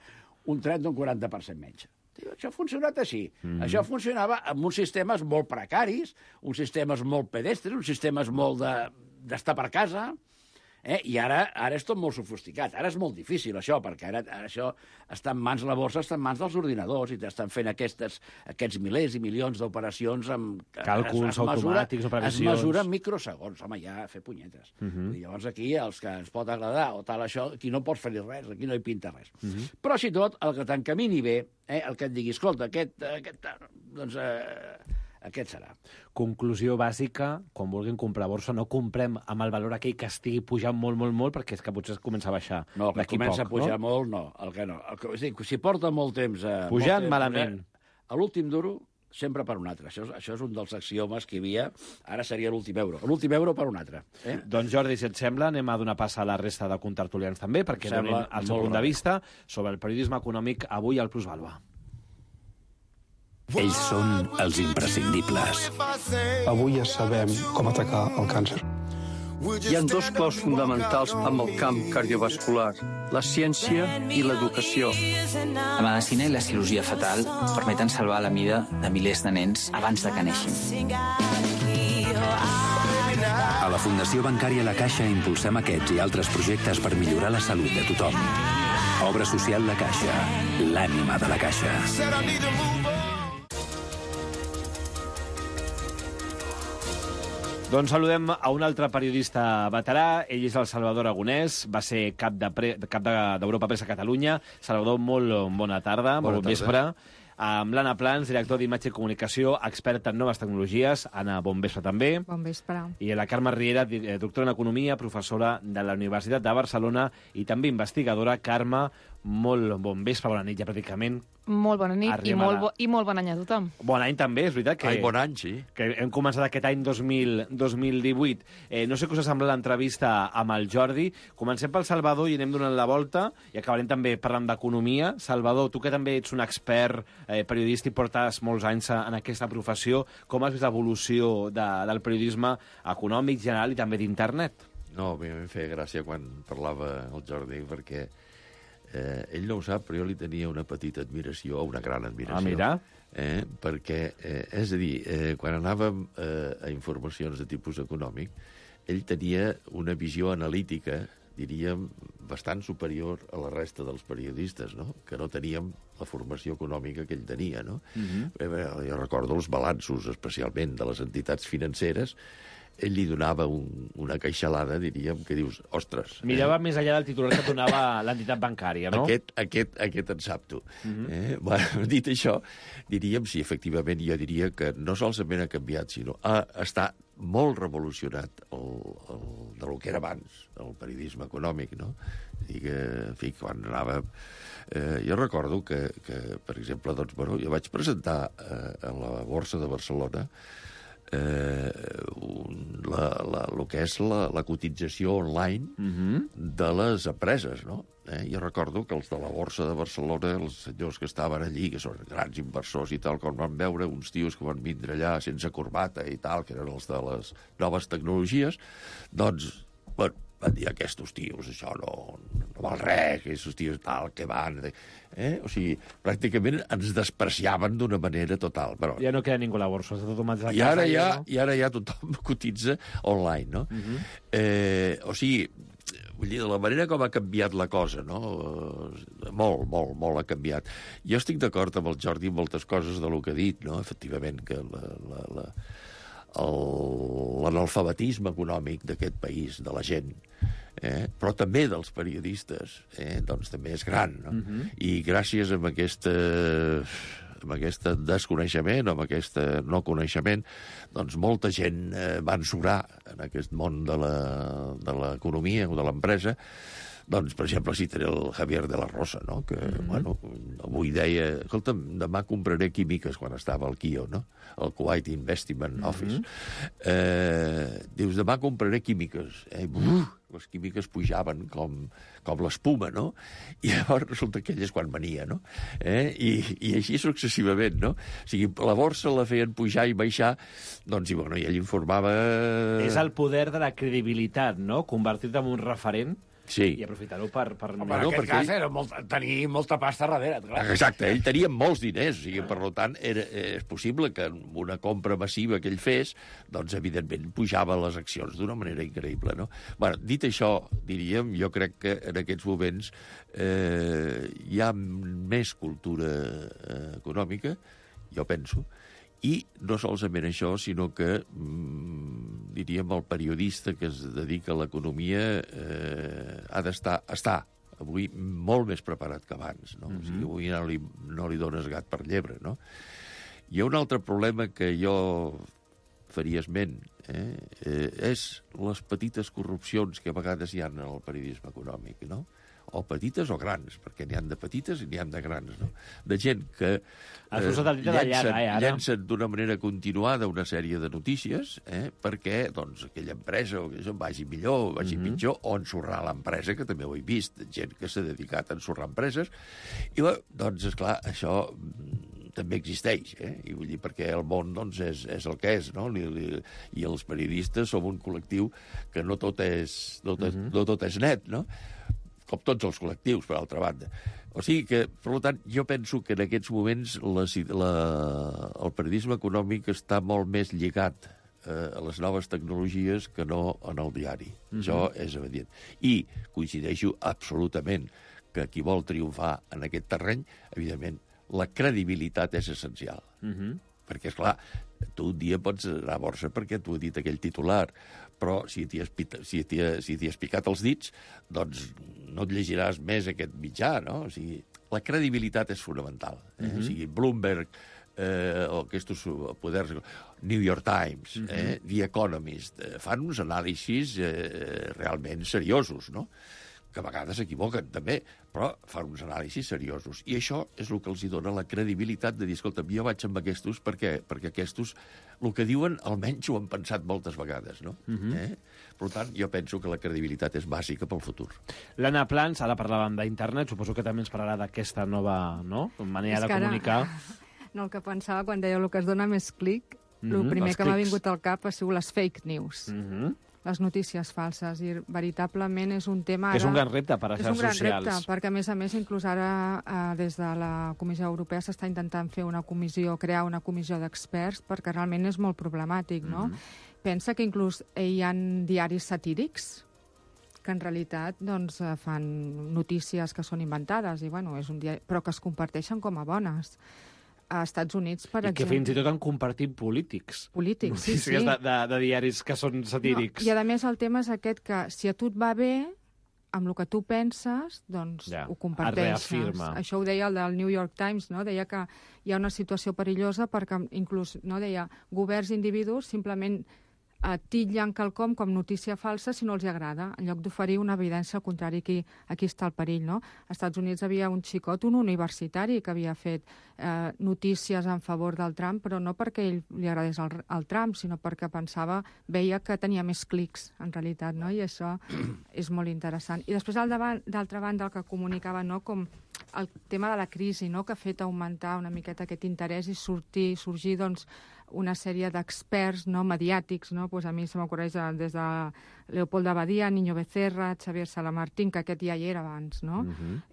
un 30 o un 40% menys. Diu, això ha funcionat així. Això funcionava amb uns sistemes molt precaris, uns sistemes molt pedestres, uns sistemes molt d'estar per casa, i ara és tot molt sofisticat. Ara és molt difícil, això, perquè ara això està en mans, la borsa està en mans dels ordinadors i t'estan fent aquests milers i milions d'operacions amb... Càlculs automàtics o previsions. Es mesura en microsegons. Home, ja fer punyetes. I llavors aquí, els que ens pot agradar o tal això, aquí no pots fer-hi res, aquí no hi pinta res. Però, si tot, el que t'encamini bé, el que et digui, escolta, aquest serà. Conclusió bàsica, quan vulguin comprar borsa, no comprem amb el valor aquell que estigui pujant molt, perquè és que potser es comença a baixar. No, el que comença a pujar molt, no. El que no. És a dir, si porta molt temps... Pujant malament. A l'últim duro, sempre per un altre. Això és un dels axiomes que hi havia. Ara seria l'últim euro. L'últim euro per un altre. Doncs, Jordi, si et sembla, anem a donar pas a la resta de contertulians també, perquè donin el seu punt de vista sobre el periodisme econòmic avui al Plusvàlua. Ells són els imprescindibles. Avui ja sabem com atacar el càncer. Hi ha dos claus fonamentals amb el camp cardiovascular, la ciència i l'educació. La medicina i la cirurgia fetal permeten salvar la vida de milers de nens abans de que neixin. A la Fundació Bancària La Caixa impulsem aquests i altres projectes per millorar la salut de tothom. Obra social La Caixa, l'ànima de la Caixa. Doncs saludem a un altre periodista veterà. Ell és el Salvador Aragonès, va ser cap d'Europa Press a Catalunya. Salvador, molt bona tarda, molt bon vespre. Amb l'Anna Plans, director d'Imatge i Comunicació, experta en noves tecnologies. Anna, bon vespre també. Bon vespre. I la Carme Riera, doctora en Economia, professora de la Universitat de Barcelona i també investigadora. Carme, molt bon vespre, bona nit ja pràcticament. Molt bona nit i molt bon any a tothom. Bon any també, és veritat que... Bon any, sí. Que hem començat aquest any 2018. No sé què us ha semblat l'entrevista amb el Jordi. Comencem pel Salvador i anem donant la volta i acabarem també parlant d'economia. Salvador, tu que també ets un expert periodista i portes molts anys en aquesta professió, com has vist l'evolució del periodisme econòmic general i també d'internet? No, a mi em feia gràcia quan parlava el Jordi, perquè ell no ho sap, però jo li tenia una petita admiració, una gran admiració. Ah, mira. Perquè, és a dir, quan anàvem a informacions de tipus econòmic, ell tenia una visió analítica, diríem, bastant superior a la resta dels periodistes, no? Que no teníem la formació econòmica que ell tenia, no? Jo recordo els balanços, especialment de les entitats financeres. Ell li donava una queixalada, diríem, que dius, ostres... Mirava més enllà del titular que donava l'entitat bancària, no? Aquest en sap tu. Dit això, diríem, sí, efectivament, jo diria que no solament ha canviat, sinó està molt revolucionat de lo que era abans, el periodisme econòmic, no? I que, en fi, quan anava... Jo recordo que, per exemple, doncs, bueno, jo vaig presentar a la Borsa de Barcelona el que és la cotització online de les empreses, no? Jo recordo que els de la Borsa de Barcelona, els senyors que estaven allí, que són grans inversors i tal, quan van veure uns tios que van vindre allà sense corbata i tal, que eren els de les noves tecnologies, doncs, bueno, van dir aquests tios, això no val res, aquests tios tal, que van... O sigui, pràcticament ens despreciaven d'una manera total. Però... Ja no queda ningú a la borsa, està tot a casa. I ara ja tothom cotitza online, no? O sigui, vull dir, de la manera com ha canviat la cosa, no? Molt ha canviat. Jo estic d'acord amb el Jordi en moltes coses del que ha dit, no? Efectivament, que l'analfabetisme econòmic d'aquest país, de la gent, però també dels periodistes, doncs també és gran, no? I gràcies a aquest desconeixement o amb aquest no coneixement, doncs molta gent va ensurar en aquest món de l'economia o de l'empresa. Doncs, per exemple, citaré el Javier de la Rosa, no? Que, bueno, avui deia, escolta'm, demà compraré químiques quan estava al KIO, no? El Kuwait Investment Office. Dius, demà compraré químiques. Les químiques pujaven com l'espuma, no? I llavors resulta que ell és quan venia, no? I així successivament, no? O sigui, la borsa la feien pujar i baixar, doncs, i bueno, i ell informava... És el poder de la credibilitat, no? Convertir-te en un referent. Sí. I aprofitar-ho per... Home, en aquest cas era tenir molta pasta darrere, clar. Exacte, ell tenia molts diners, o sigui, per tant, és possible que amb una compra massiva que ell fes, doncs, evidentment, pujava les accions d'una manera increïble, no? Bueno, dit això, diríem, jo crec que en aquests moments hi ha més cultura econòmica, jo penso, i no solament això, sinó que, diríem, el periodista que es dedica a l'economia ha d'estar, avui, molt més preparat que abans, no? O sigui, avui no li dones gat per llebre, no? Hi ha un altre problema que jo faria esment, és les petites corrupcions que a vegades hi ha en el periodisme econòmic, no? O petites o grans, perquè n'hi han de petites i n'hi han de grans, no? De gent que llencen d'una manera continuada una sèrie de notícies perquè doncs, aquella empresa o això vagi millor, vagi pitjor, o ensorrar l'empresa, que també ho he vist, gent que s'ha dedicat a ensorrar empreses, i doncs, esclar, això també existeix, i vull dir, perquè el món doncs, és el que és, no? I els periodistes som un col·lectiu que no tot és net, no? Com tots els col·lectius, per altra banda. O sigui que, per tant, jo penso que en aquests moments el periodisme econòmic està molt més lligat a les noves tecnologies que no en el diari. Això és evident. I coincideixo absolutament que qui vol triomfar en aquest terreny, evidentment, la credibilitat és essencial. Perquè, esclar, tu un dia pots anar a borsa perquè t'ho ha dit aquell titular, però si t'hi has picat els dits, doncs no et llegiràs més aquest mitjà, no? O sigui, la credibilitat és fonamental. O sigui, Bloomberg, o aquests poders, New York Times, The Economist, fan uns anàlisis realment seriosos, no? Que a vegades s'equivoquen, també, però fan uns anàlisis seriosos. I això és el que els dona la credibilitat de dir, escolta, jo vaig amb aquestos perquè aquestos, el que diuen, almenys ho han pensat moltes vegades, no? Per tant, jo penso que la credibilitat és bàsica pel futur. L'Anna Plans, ara parlàvem d'internet, suposo que també ens parlarà d'aquesta nova manera de comunicar. No, el que pensava quan deia el que es dona més clic, el primer que m'ha vingut al cap ha sigut les fake news. Les notícies falses, i veritablement és un tema... És un gran repte per a les xarxes socials. És un gran repte, perquè a més, inclús ara des de la Comissió Europea s'està intentant fer crear una comissió d'experts, perquè realment és molt problemàtic, no? Pensa que inclús hi ha diaris satírics que en realitat doncs, fan notícies que són inventades, i, bueno, és un diari, però que es comparteixen com a bones. A Estats Units, per exemple... I que fins i tot han compartit polítics. Polítics, sí. De diaris que són satírics. No, i a més el tema és aquest que si a tu et va bé, amb el que tu penses, doncs ho comparteixes. Això ho deia el del New York Times, no? Deia que hi ha una situació perillosa perquè inclús, no, deia, governs i individus simplement titllen quelcom com notícia falsa si no els agrada, en lloc d'oferir una evidència al contrari, aquí està el perill, no? Als Estats Units havia un xicot, un universitari, que havia fet notícies en favor del Trump, però no perquè ell li agradés el Trump, sinó perquè veia que tenia més clics, en realitat, no? I això és molt interessant. I després, d'altra banda, el que comunicava, no?, com el tema de la crisi, no?, que ha fet augmentar una miqueta aquest interès i sorgir, doncs, una sèrie d'experts, no, mediàtics, no? Pues a mi se m'ocorreix des de Leopoldo Abadia, Niño Becerra, Xavier Salamartín, que aquest ja hi era abans, no?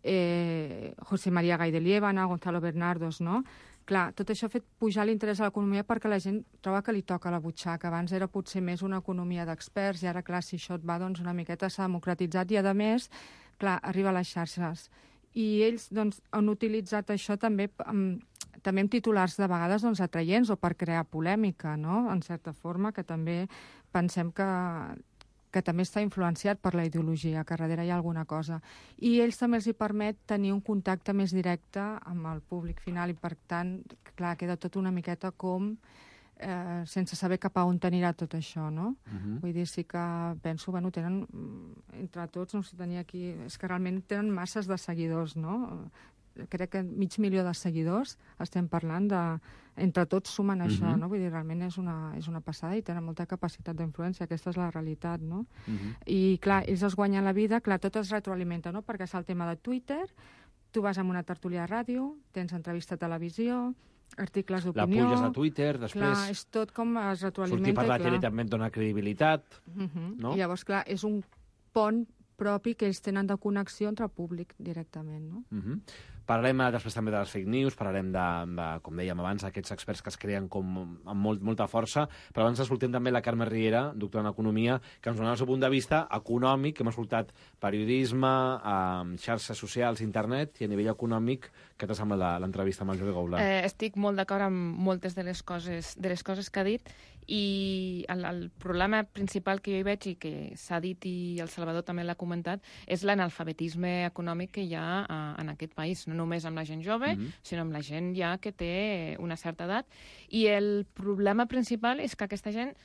José María Gay de Liébana, Gonzalo Bernardos, no? Clar, tot això ha fet pujar l'interès a l'economia perquè la gent troba que li toca la butxaca. Abans era potser més una economia d'experts i ara, clar, si això et va, doncs una miqueta s'ha democratitzat i, a més, clar, arriba a les xarxes. I ells, doncs, han utilitzat això també amb titulars de vegades, doncs, atraients o per crear polèmica, no?, en certa forma, que també pensem que també està influenciat per la ideologia, que darrere hi ha alguna cosa. I ells també els hi permet tenir un contacte més directe amb el públic final i, per tant, clar, queda tot una miqueta com sense saber cap a on anirà tot això, no? Vull dir, sí que penso, bueno, tenen, entre tots, no sé, tenia aquí, és que realment tenen masses de seguidors, no? Crec que 500.000 de seguidors estem parlant de... Entre tots sumen això, no? Vull dir, realment és una passada i tenen molta capacitat d'influència, aquesta és la realitat, no? I, clar, ells es guanyen la vida, clar, tot es retroalimenta, no? Perquè és el tema de Twitter, tu vas a una tertúlia de ràdio, tens entrevista a televisió, articles d'opinió... La puges a Twitter, després... Clar, és tot com es retroalimenta. Sortir per la tele també et dona credibilitat, no? I llavors, clar, és un pont propi que ells tenen de connexió entre el públic directament, no? Parlarem després també de les fake news, parlarem de com dèiem abans, aquests experts que es creen com amb molta força, però abans escoltem també la Carme Riera, doctora en Economia, que ens dona el seu punt de vista econòmic, que hem escoltat periodisme, xarxes socials, internet, i a nivell econòmic, què t'ha semblat l'entrevista amb el Jordi Goulart? Estic molt d'acord amb moltes de les coses que ha dit, i el problema principal que jo hi veig i que s'ha dit i el Salvador també l'ha comentat és l'analfabetisme econòmic que hi ha en aquest país, no només amb la gent jove, sinó amb la gent ja que té una certa edat. I el problema principal és que aquesta gent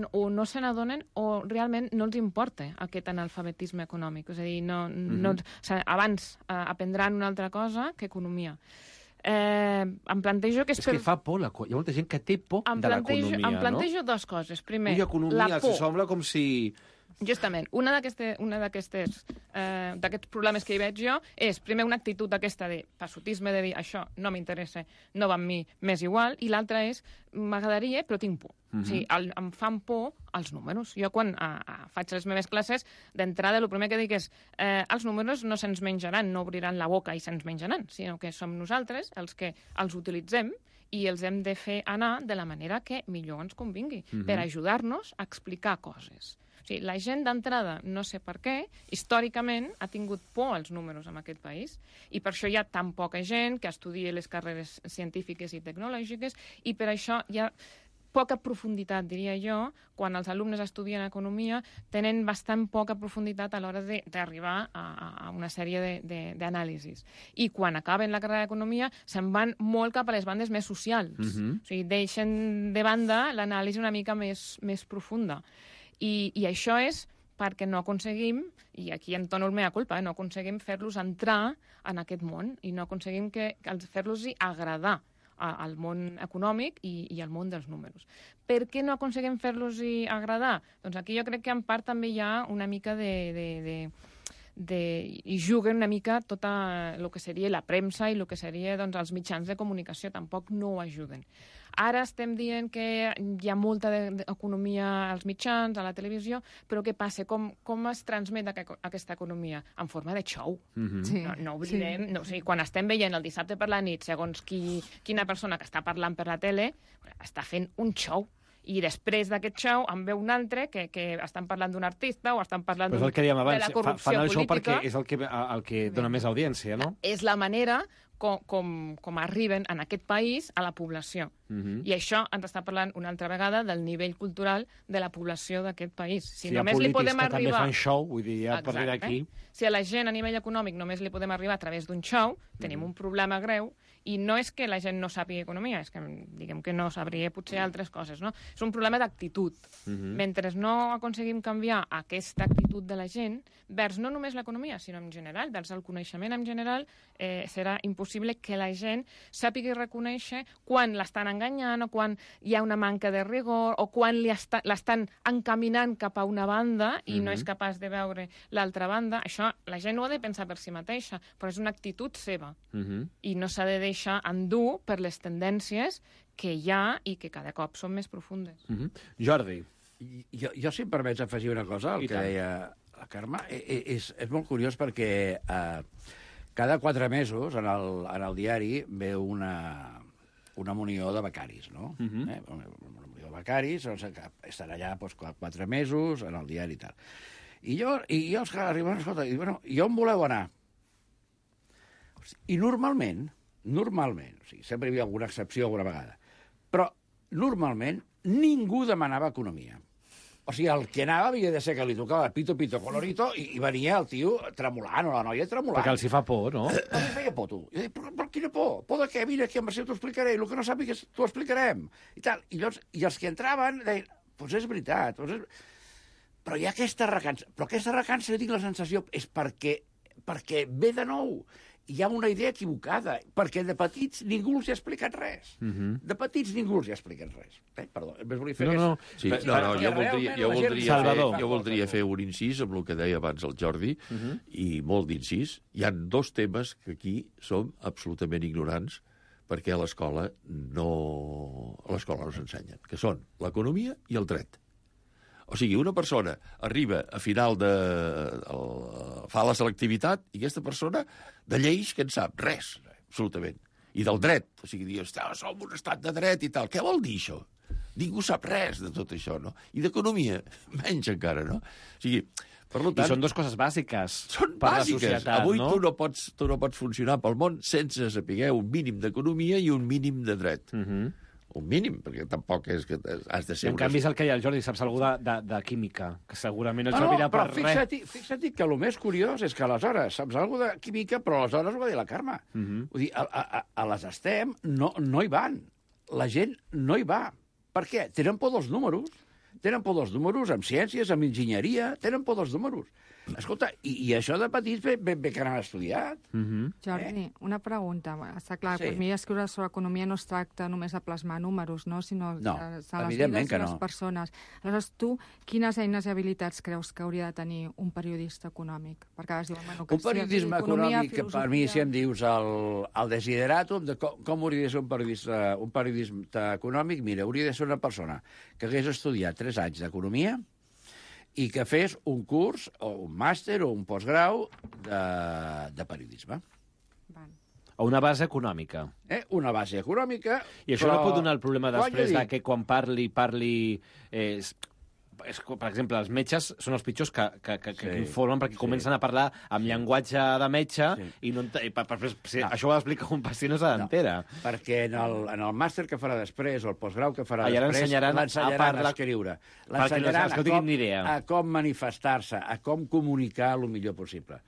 o no se n'adonen o realment no els importa aquest analfabetisme econòmic. És a dir, abans aprendran una altra cosa que economia. Em plantejo que és que fa por, hi ha molta gent que té por de l'economia, no? Em plantejo dues coses. Primer, la por. Sembla com si... Justament, d'aquests problemes que hi veig jo és, primer, una actitud aquesta de passotisme, de dir això no m'interessa, no va amb mi, m'és igual, i l'altra és, m'agradaria, però tinc por. O sigui, em fan por els números. Jo, quan faig les meves classes, d'entrada, el primer que dic és els números no se'ns menjaran, no obriran la boca i se'ns menjaran, sinó que som nosaltres els que els utilitzem i els hem de fer anar de la manera que millor ens convingui, per ajudar-nos a explicar coses. O sigui, la gent d'entrada, no sé per què, històricament ha tingut por als números en aquest país i per això hi ha tan poca gent que estudia les carreres científiques i tecnològiques i per això hi ha poca profunditat, diria jo, quan els alumnes estudien economia, tenen bastant poca profunditat a l'hora d'arribar a una sèrie d'anàlisis. I quan acaben la carrera d'economia se'n van molt cap a les bandes més socials. O sigui, deixen de banda l'anàlisi una mica més profunda. I això és perquè no aconseguim, i aquí em dono el mea culpa, no aconseguim fer-los entrar en aquest món i no aconseguim fer-los agradar al món econòmic i al món dels números. Per què no aconseguim fer-los agradar? Doncs aquí jo crec que en part també hi ha una mica i juguen una mica tot el que seria la premsa i el que seria els mitjans de comunicació, tampoc no ho ajuden. Ara estem dient que hi ha molta economia als mitjans, a la televisió, però què passa? Com es transmet aquesta economia? En forma de show. No oblidem, o sigui, quan estem veient el dissabte per la nit, segons quina persona que està parlant per la tele, està fent un show. I després d'aquest show en ve un altre que estan parlant d'un artista o estan parlant de la corrupció política. Fan el show perquè és el que dona més audiència, no? És la manera com arriben en aquest país a la població. I això ens està parlant una altra vegada del nivell cultural de la població d'aquest país. Si hi ha només li polítics podem que també arribar... fan show, vull dir, a partir d'aquí... Si a la gent a nivell econòmic només li podem arribar a través d'un show, tenim un problema greu, i no és que la gent no sàpiga economia, és que diguem que no sabria potser altres coses, no? És un problema d'actitud. Mentre no aconseguim canviar aquesta actitud de la gent vers no només l'economia, sinó en general, vers el coneixement en general, serà impossible que la gent sàpiga reconèixer quan l'estan enganyant o quan hi ha una manca de rigor o quan l'estan encaminant cap a una banda i no és capaç de veure l'altra banda. Això la gent ho ha de pensar per si mateixa, però és una actitud seva i no s'ha de deixar endur per les tendències que hi ha i que cada cop són més profundes. Jordi. Jo, si em permets afegir una cosa al que deia la Carme, és molt curiós perquè cada 4 mesos en el diari ve una munió de becaris, no? Una munió de becaris, que estan allà 4 mesos en el diari i tal. I els que arriben, escolta, i on voleu anar? I normalment, o sigui, sempre hi havia alguna excepció alguna vegada, però normalment ningú demanava economia. O sigui, el que anava havia de ser que li tocava pito, colorito, i venia el tio tremolant, o la noia tremolant. Perquè els hi fa por, no? A mi feia por, tu. Jo dic, però quina por? Por de què? Vine aquí, en Marcel, t'ho explicaré, el que no sàpigues t'ho explicarem. I tal. I els que entraven deien, doncs és veritat, però hi ha aquesta recança. Però aquesta recança, jo tinc la sensació, és perquè ve de nou. Hi ha una idea equivocada, perquè de petits ningú els ha explicat res. De petits ningú els ha explicat res. Perdó, només volia fer jo voldria fer un incís amb el que deia abans el Jordi, i molt d'incís. Hi ha 2 temes que aquí som absolutament ignorants perquè a l'escola no s'ensenyen, que són l'economia i el dret. O sigui, una persona arriba a final fa la selectivitat i aquesta persona de lleis que en sap res, absolutament. I del dret. O sigui, som un estat de dret i tal. Què vol dir això? Ningú sap res de tot això, no? I d'economia, menys encara, no? O sigui, per tant... I són 2 coses bàsiques. Són bàsiques. Avui tu no pots funcionar pel món sense saber un mínim d'economia i un mínim de dret. Un mínim, perquè tampoc és que has de ser... En canvi, és el que hi ha el Jordi, saps algú de química, que segurament no servirà per res. Fixa't que el més curiós és que aleshores saps algú de química, però aleshores ho va dir la Carme. Vull dir, a les STEM no hi van. La gent no hi va. Per què? Tenen por dels números. Tenen por dels números amb ciències, amb enginyeria, tenen por dels números. Escolta, i això de petits bé que n'han estudiat. Jordi, una pregunta. Està clar, per mi escriure sobre economia no es tracta només de plasmar números, no? Sinó de les vides de les persones. Aleshores, tu, quines eines i habilitats creus que hauria de tenir un periodista econòmic? Perquè ara es diuen, un periodisme econòmic, que per mi, si em dius el desideratum de com hauria de ser un periodista econòmic, mira, hauria de ser una persona que hagués estudiat 3 anys d'economia i que fes un curs, o un màster, o un postgrau de periodisme. O una base econòmica. Una base econòmica... I això no pot donar el problema després de que quan parli... Per exemple, els metges són els pitjors que informen perquè comencen a parlar amb llenguatge de metge i això ho ha d'explicar un pacient no se n'entera. Perquè en el màster que farà després o el postgrau que farà després l'ensenyaran a escriure. L'ensenyaran a com manifestar-se, a com comunicar el millor possible.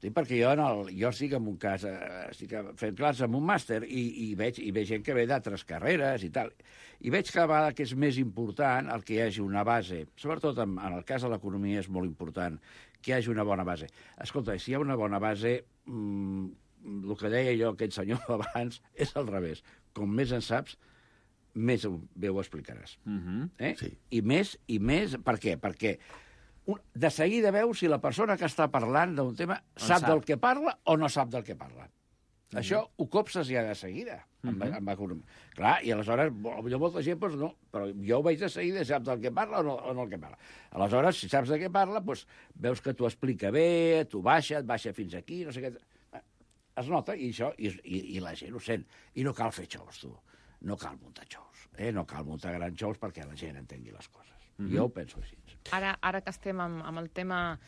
Perquè jo estic en un cas, estic fent classes en un màster i veig gent que ve d'altres carreres i tal. I veig cada vegada que és més important el que hi hagi una base, sobretot en el cas de l'economia és molt important, que hi hagi una bona base. Escolta, si hi ha una bona base, el que deia jo aquest senyor abans és al revés. Com més en saps, més bé ho explicaràs. I més, per què? Perquè de seguida veus si la persona que està parlant d'un tema sap del que parla o no sap del que parla. Això ho copses ja de seguida. Clar, i aleshores, molta gent, doncs no, però jo ho veig de seguida, sap del que parla o no el que parla. Aleshores, si saps de què parla, doncs veus que t'ho explica bé, t'ho baixa, et baixa fins aquí, no sé què... Es nota, i la gent ho sent. I no cal fer xous, tu. No cal muntar xous. No cal muntar grans xous perquè la gent entengui les coses. Jo ho penso així. Ara que estem amb el tema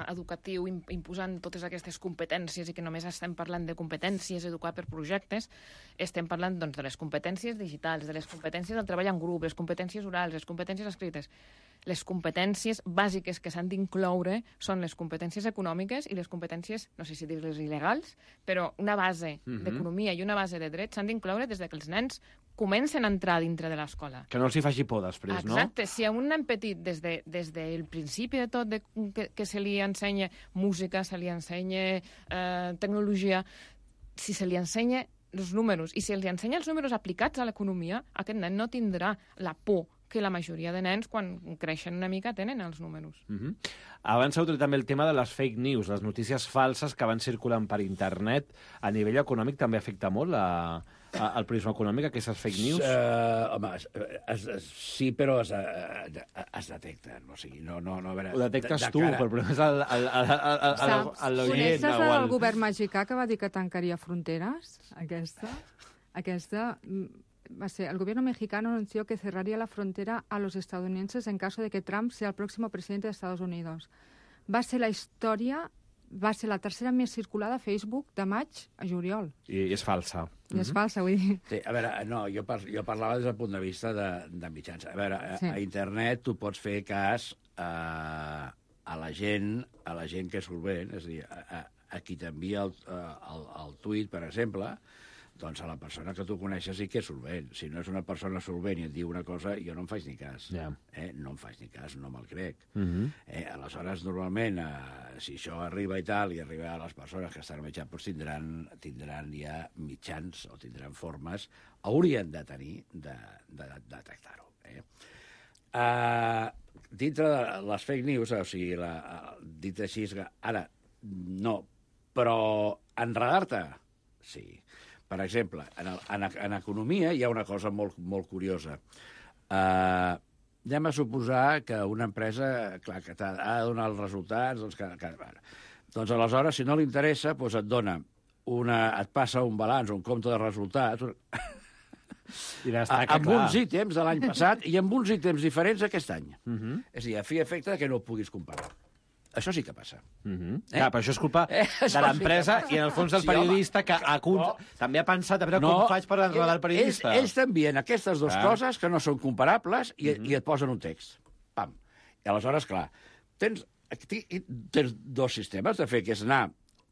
educatiu, imposant totes aquestes competències i que només estem parlant de competències, educar per projectes, estem parlant doncs, de les competències digitals, de les competències del treball en grup, les competències orals, les competències escrites. Les competències bàsiques que s'han d'incloure són les competències econòmiques i les competències, no sé si dir-les il·legals, però una base d'economia i una base de dret s'han d'incloure des que els nens comencen a entrar dintre de l'escola. Que no els hi faci por després, no? Exacte. Si a un nen petit, des del principi de tot, que se li ensenya música, se li ensenya tecnologia, si se li ensenya els números i si li ensenya els números aplicats a l'economia, aquest nen no tindrà la por que la majoria de nens, quan creixen una mica, tenen els números. Abans heu tret també el tema de les fake news, les notícies falses que van circulant per internet. A nivell econòmic també afecta molt al prisma econòmic, aquestes fake news? Home, sí, però es detecten. O sigui, no, a veure... Ho detectes tu, però el problema és l'oient. Coneixes el govern mexicà que va dir que tancaria fronteres? Aquesta va ser, el gobierno mexicano anunció que cerraría la frontera a los estadounidenses en caso de que Trump sea el próximo presidente de Estados Unidos. Va ser la tercera més circulada a Facebook de maig a juliol. I és falsa. I és falsa, vull dir. Sí, a veure, no, jo parlava des del punt de vista de mitjans. A veure, a internet tu pots fer cas a la gent que és solvent, és a dir, a qui t'envia el tuit, per exemple, doncs a la persona que tu coneixes sí que és solvent. Si no és una persona solvent i et diu una cosa, jo no em faig ni cas. No em faig ni cas, no me'l crec. Aleshores, normalment, si això arriba i tal, i arriba a les persones que estan mitjans, doncs tindran ja mitjans o tindran formes, haurien de tenir de detectar-ho. Dintre de les fake news, o sigui, dit així, ara, no, però enredar-te, sí. Per exemple, en economia hi ha una cosa molt, molt curiosa. Anem a suposar que una empresa, clar, que ha de donar els resultats, doncs aleshores, si no li interessa, doncs et passa un balanç, un compte de resultats, amb uns ítems de l'any passat i amb uns ítems diferents aquest any. És a dir, a fi i efecte que no ho puguis comparar. Això sí que passa. Clar, però això és culpa de l'empresa i, en el fons, del periodista que també ha pensat a veure com faig per enredar el periodista. Ells t'envien aquestes dues coses que no són comparables i et posen un text. Pam. I aleshores, clar, tens dos sistemes de fer, que és anar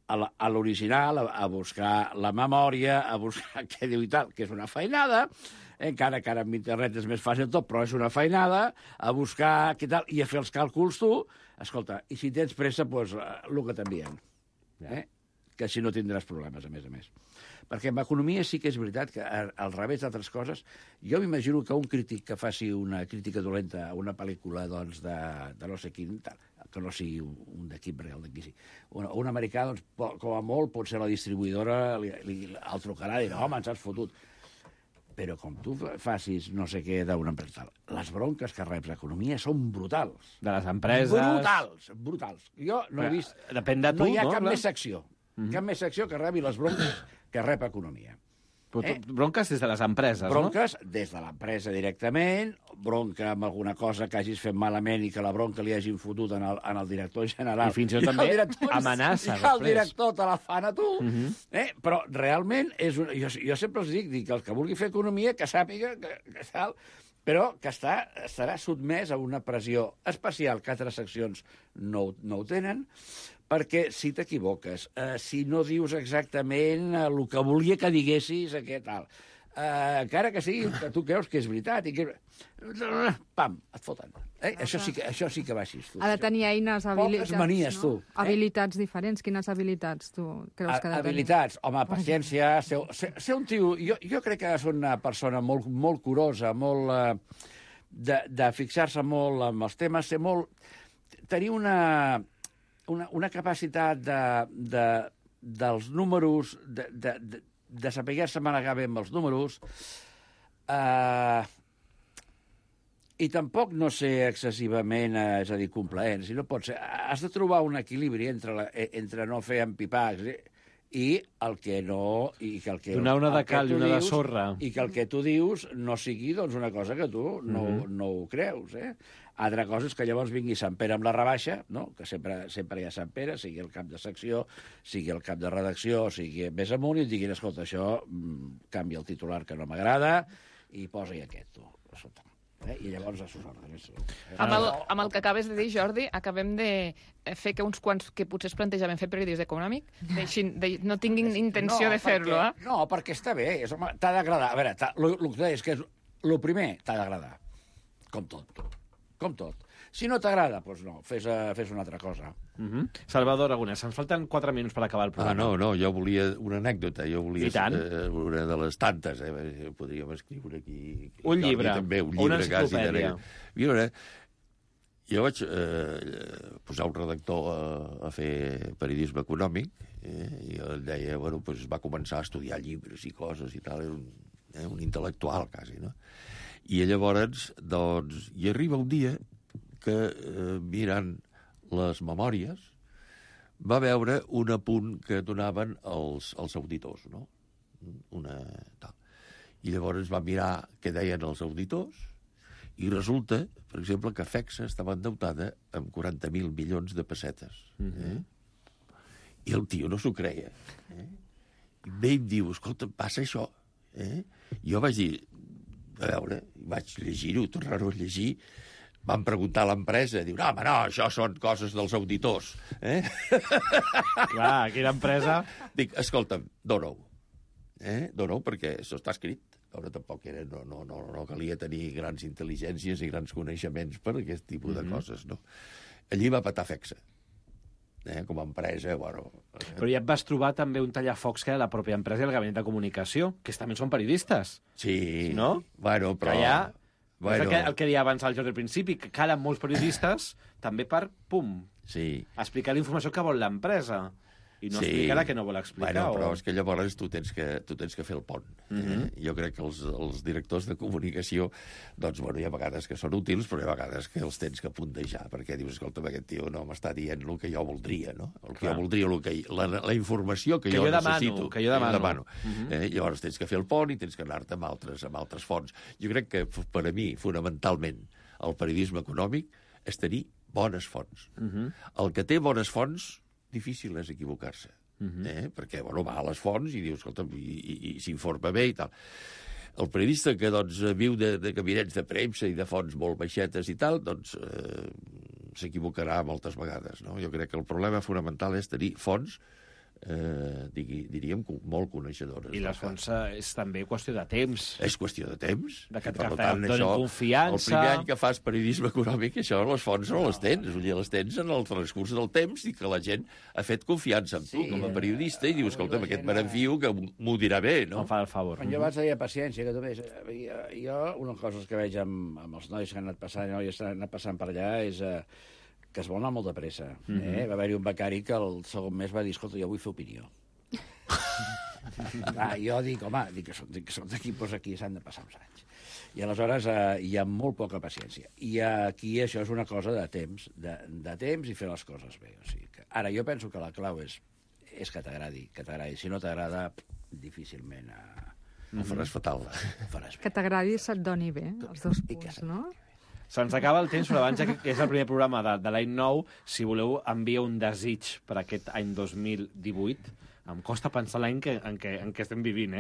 a l'original, a buscar la memòria, a buscar què diu i tal, que és una feinada, encara que ara amb internet és més fàcil tot, però és una feinada, a buscar què tal, i a fer els càlculs tu. Escolta, i si tens pressa, doncs el que t'envien. Que així no tindràs problemes, a més. Perquè en economia sí que és veritat que, al revés d'altres coses, jo m'imagino que un crític que faci una crítica dolenta a una pel·lícula doncs, de no sé quin, que no sigui un d'equip real d'aquí sí. Un americà, doncs, com a molt, pot ser la distribuïdora, el trucarà i dirà, home, ens has fotut. Però com tu facis no sé què d'una empresa, les bronques que reps d'economia són brutals. De les empreses... Brutals. Jo no he vist... Depèn de tu, no hi ha cap més secció. Cap més secció que rebi les bronques que rep economia. Bronques des de les empreses, bronques des de l'empresa directament, bronca amb alguna cosa que hagis fet malament i que la bronca li hagin fotut en el director general. I fins i tot també amenaça. I el director te la fan a tu. Però realment, jo sempre els dic que el que vulgui fer economia, que sàpiga que tal, però que estarà sotmès a una pressió especial que altres seccions no ho tenen, perquè si t'equivoques, si no dius exactament el que volia que diguessis, aquest tal, encara que sigui que tu creus que és veritat, i que... pam, et foten. Això sí que va així. Ha de tenir eines, habilitats. Poques manies, tu. Habilitats diferents. Quines habilitats tu creus que ha de tenir? Habilitats, home, paciència, ser un tio... Jo crec que és una persona molt, molt curosa, molt... de fixar-se molt amb els temes, ser molt... tenir una capacitat dels números, de saber-se manegar bé amb els números, i tampoc no ser excessivament, és a dir, complaent. Si no pot ser, has de trobar un equilibri entre no fer empipacs i el que no... Donar una de cal i una de sorra. I que el que tu dius no sigui doncs, una cosa que tu no ho creus. Altra cosa és que llavors vingui Sant Pere amb la rebaixa, no? Que sempre hi ha Sant Pere, sigui el cap de secció, sigui el cap de redacció, sigui més amunt, i et diguin, escolta, això canvia el titular que no m'agrada i posa-hi aquest, tu. Escolta. I llavors amb el que acabes de dir, Jordi, acabem de fer que uns quants que potser es plantejaven fer periodisme econòmic no tinguin intenció de fer-lo. No, perquè està bé, t'ha d'agradar. A veure, el que és que el primer t'ha d'agradar, com tot. Si no t'agrada, doncs no, fes una altra cosa. Salvador Aragonès, ens falten 4 minuts per acabar el programa. No, jo volia una anècdota, una de les tantes, podríem escriure aquí. Un llibre, una enciclopèdia. Mira, jo vaig posar un redactor a fer periodisme econòmic, i ell deia, va començar a estudiar llibres i coses i tal, era un intel·lectual, quasi, no? I llavors, doncs, hi arriba un dia que, mirant les memòries, va veure un apunt que donaven els auditors, no? I llavors va mirar què deien els auditors i resulta, per exemple, que FECSA estava endeutada amb 40.000 milions de pessetes. I el tio no s'ho creia. I ve i em diu, escolta, passa això. Jo vaig dir, a veure, vaig llegir-ho, tornar-ho a llegir. Van preguntar a l'empresa, diu, no, això són coses dels auditors. Clar, quina empresa... Dic, escolta'm, dona-ho. Dona-ho perquè això està escrit. Ara tampoc no calia tenir grans intel·ligències i grans coneixements per aquest tipus de coses, no? Allí va petar FECSA. Com a empresa, Però ja et vas trobar també un tallafocs que era la pròpia empresa i el gabinet de comunicació, que també són periodistes. Sí. No? Però... És el que deia abans el Jordi al principi, que calen molts periodistes també per, explicar la informació que vol l'empresa. I no explicar la que no vol explicar. Però és que llavors tu tens que fer el pont. Jo crec que els directors de comunicació, doncs, hi ha vegades que són útils, però hi ha vegades que els tens que puntejar, perquè dius, escolta, aquest tio no m'està dient el que jo voldria, no? El que jo voldria, la informació que jo necessito. Que jo demano. Llavors tens que fer el pont i tens que anar-te amb altres fonts. Jo crec que, per a mi, fonamentalment, el periodisme econòmic és tenir bones fonts. El que té bones fonts difícil és equivocar-se, perquè va a les fonts i diu, escolta, i s'informa bé i tal. El periodista que viu de gabinets de premsa i de fonts molt baixetes i tal, doncs s'equivocarà moltes vegades, no? Jo crec que el problema fonamental és tenir fonts, diríem, molt coneixedores. I les fonts és també qüestió de temps. És qüestió de temps. Que et donin confiança. El primer any que fas periodisme econòmic, això, les fonts no les tens. Les tens en el transcurs del temps i que la gent ha fet confiança en tu com a periodista i dius, escolta, aquest me n'enfio que m'ho dirà bé, no? Em fa el favor. Jo abans deia paciència, que tu veus. Jo, una cosa que veig amb els nois que han anat passant, noies que han anat passant per allà, és que es vol anar molt de pressa. Va haver-hi un becari que el segon mes va dir, escolta, jo vull fer opinió. Jo dic, home, que són d'equipos aquí, s'han de passar uns anys. I aleshores hi ha molt poca paciència. I aquí això és una cosa de temps, de temps i fer les coses bé. O sigui que, ara, jo penso que la clau és que t'agradi. Si no t'agrada, difícilment ho faràs fatal. Que t'agradi i se't doni bé, els dos punts, no? Se'ns acaba el temps, però abans, que és el primer programa de l'any nou, si voleu enviar un desig per aquest any 2018, em costa pensar l'any en què estem vivint,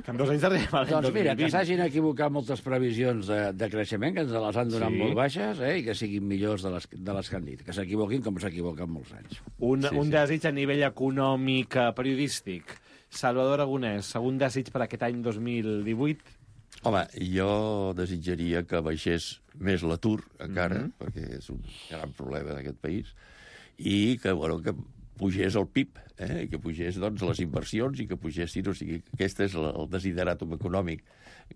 Que en 2 anys arribem a l'any 2020. Doncs mira, que s'hagin equivocat moltes previsions de creixement, que ens les han donat molt baixes, i que siguin millors de les que han dit. Que s'equivoquin com s'equivoquen molts anys. Un desig a nivell econòmic, periodístic. Salvador Aragonès, segon desig per aquest any 2018? Home, jo desitjaria que baixés més l'atur, encara, perquè és un gran problema d'aquest país, i que pugés el PIB, que pugés les inversions i que pugessin, o sigui, aquest és el desideràtum econòmic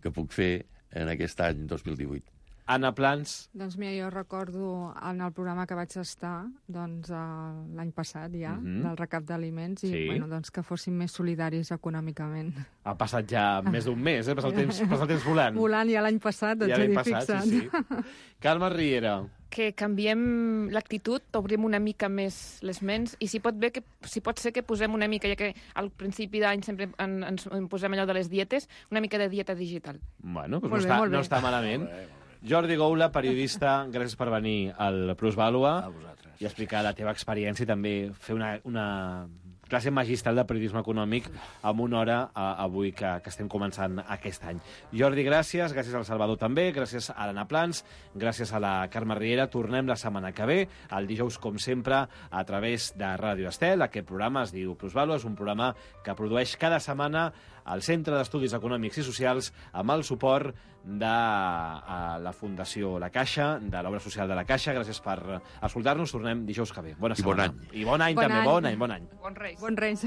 que puc fer en aquest any 2018. Anna Plans? Doncs mira, jo recordo en el programa que vaig estar l'any passat ja, del recap d'aliments, i doncs que fóssim més solidaris econòmicament. Ha passat ja més d'un mes, passa el temps volant. Volant ja l'any passat, doncs ja fixa't. Sí. Carme Riera? que canviem l'actitud, obrim una mica més les ments, i si pot ser que posem una mica, ja que al principi d'any sempre ens posem allò de les dietes, una mica de dieta digital. Bueno, doncs no està malament. Jordi Goula, periodista, gràcies per venir al Plusvàlua i explicar la teva experiència i també fer una classe magistral de periodisme econòmic amb una hora avui que estem començant aquest any. Jordi, gràcies al Salvador també, gràcies a l'Anna Plans, gràcies a la Carme Riera. Tornem la setmana que ve, el dijous, com sempre, a través de Ràdio Estel. Aquest programa es diu Plusvàlua, és un programa que produeix cada setmana al Centre d'Estudis Econòmics i Socials amb el suport de la Fundació La Caixa, de l'Obra Social de La Caixa. Gràcies per escoltar-nos. Tornem dijous que ve. Bona setmana. I bon any també. Bon any. Bon Reis. Bon Reis.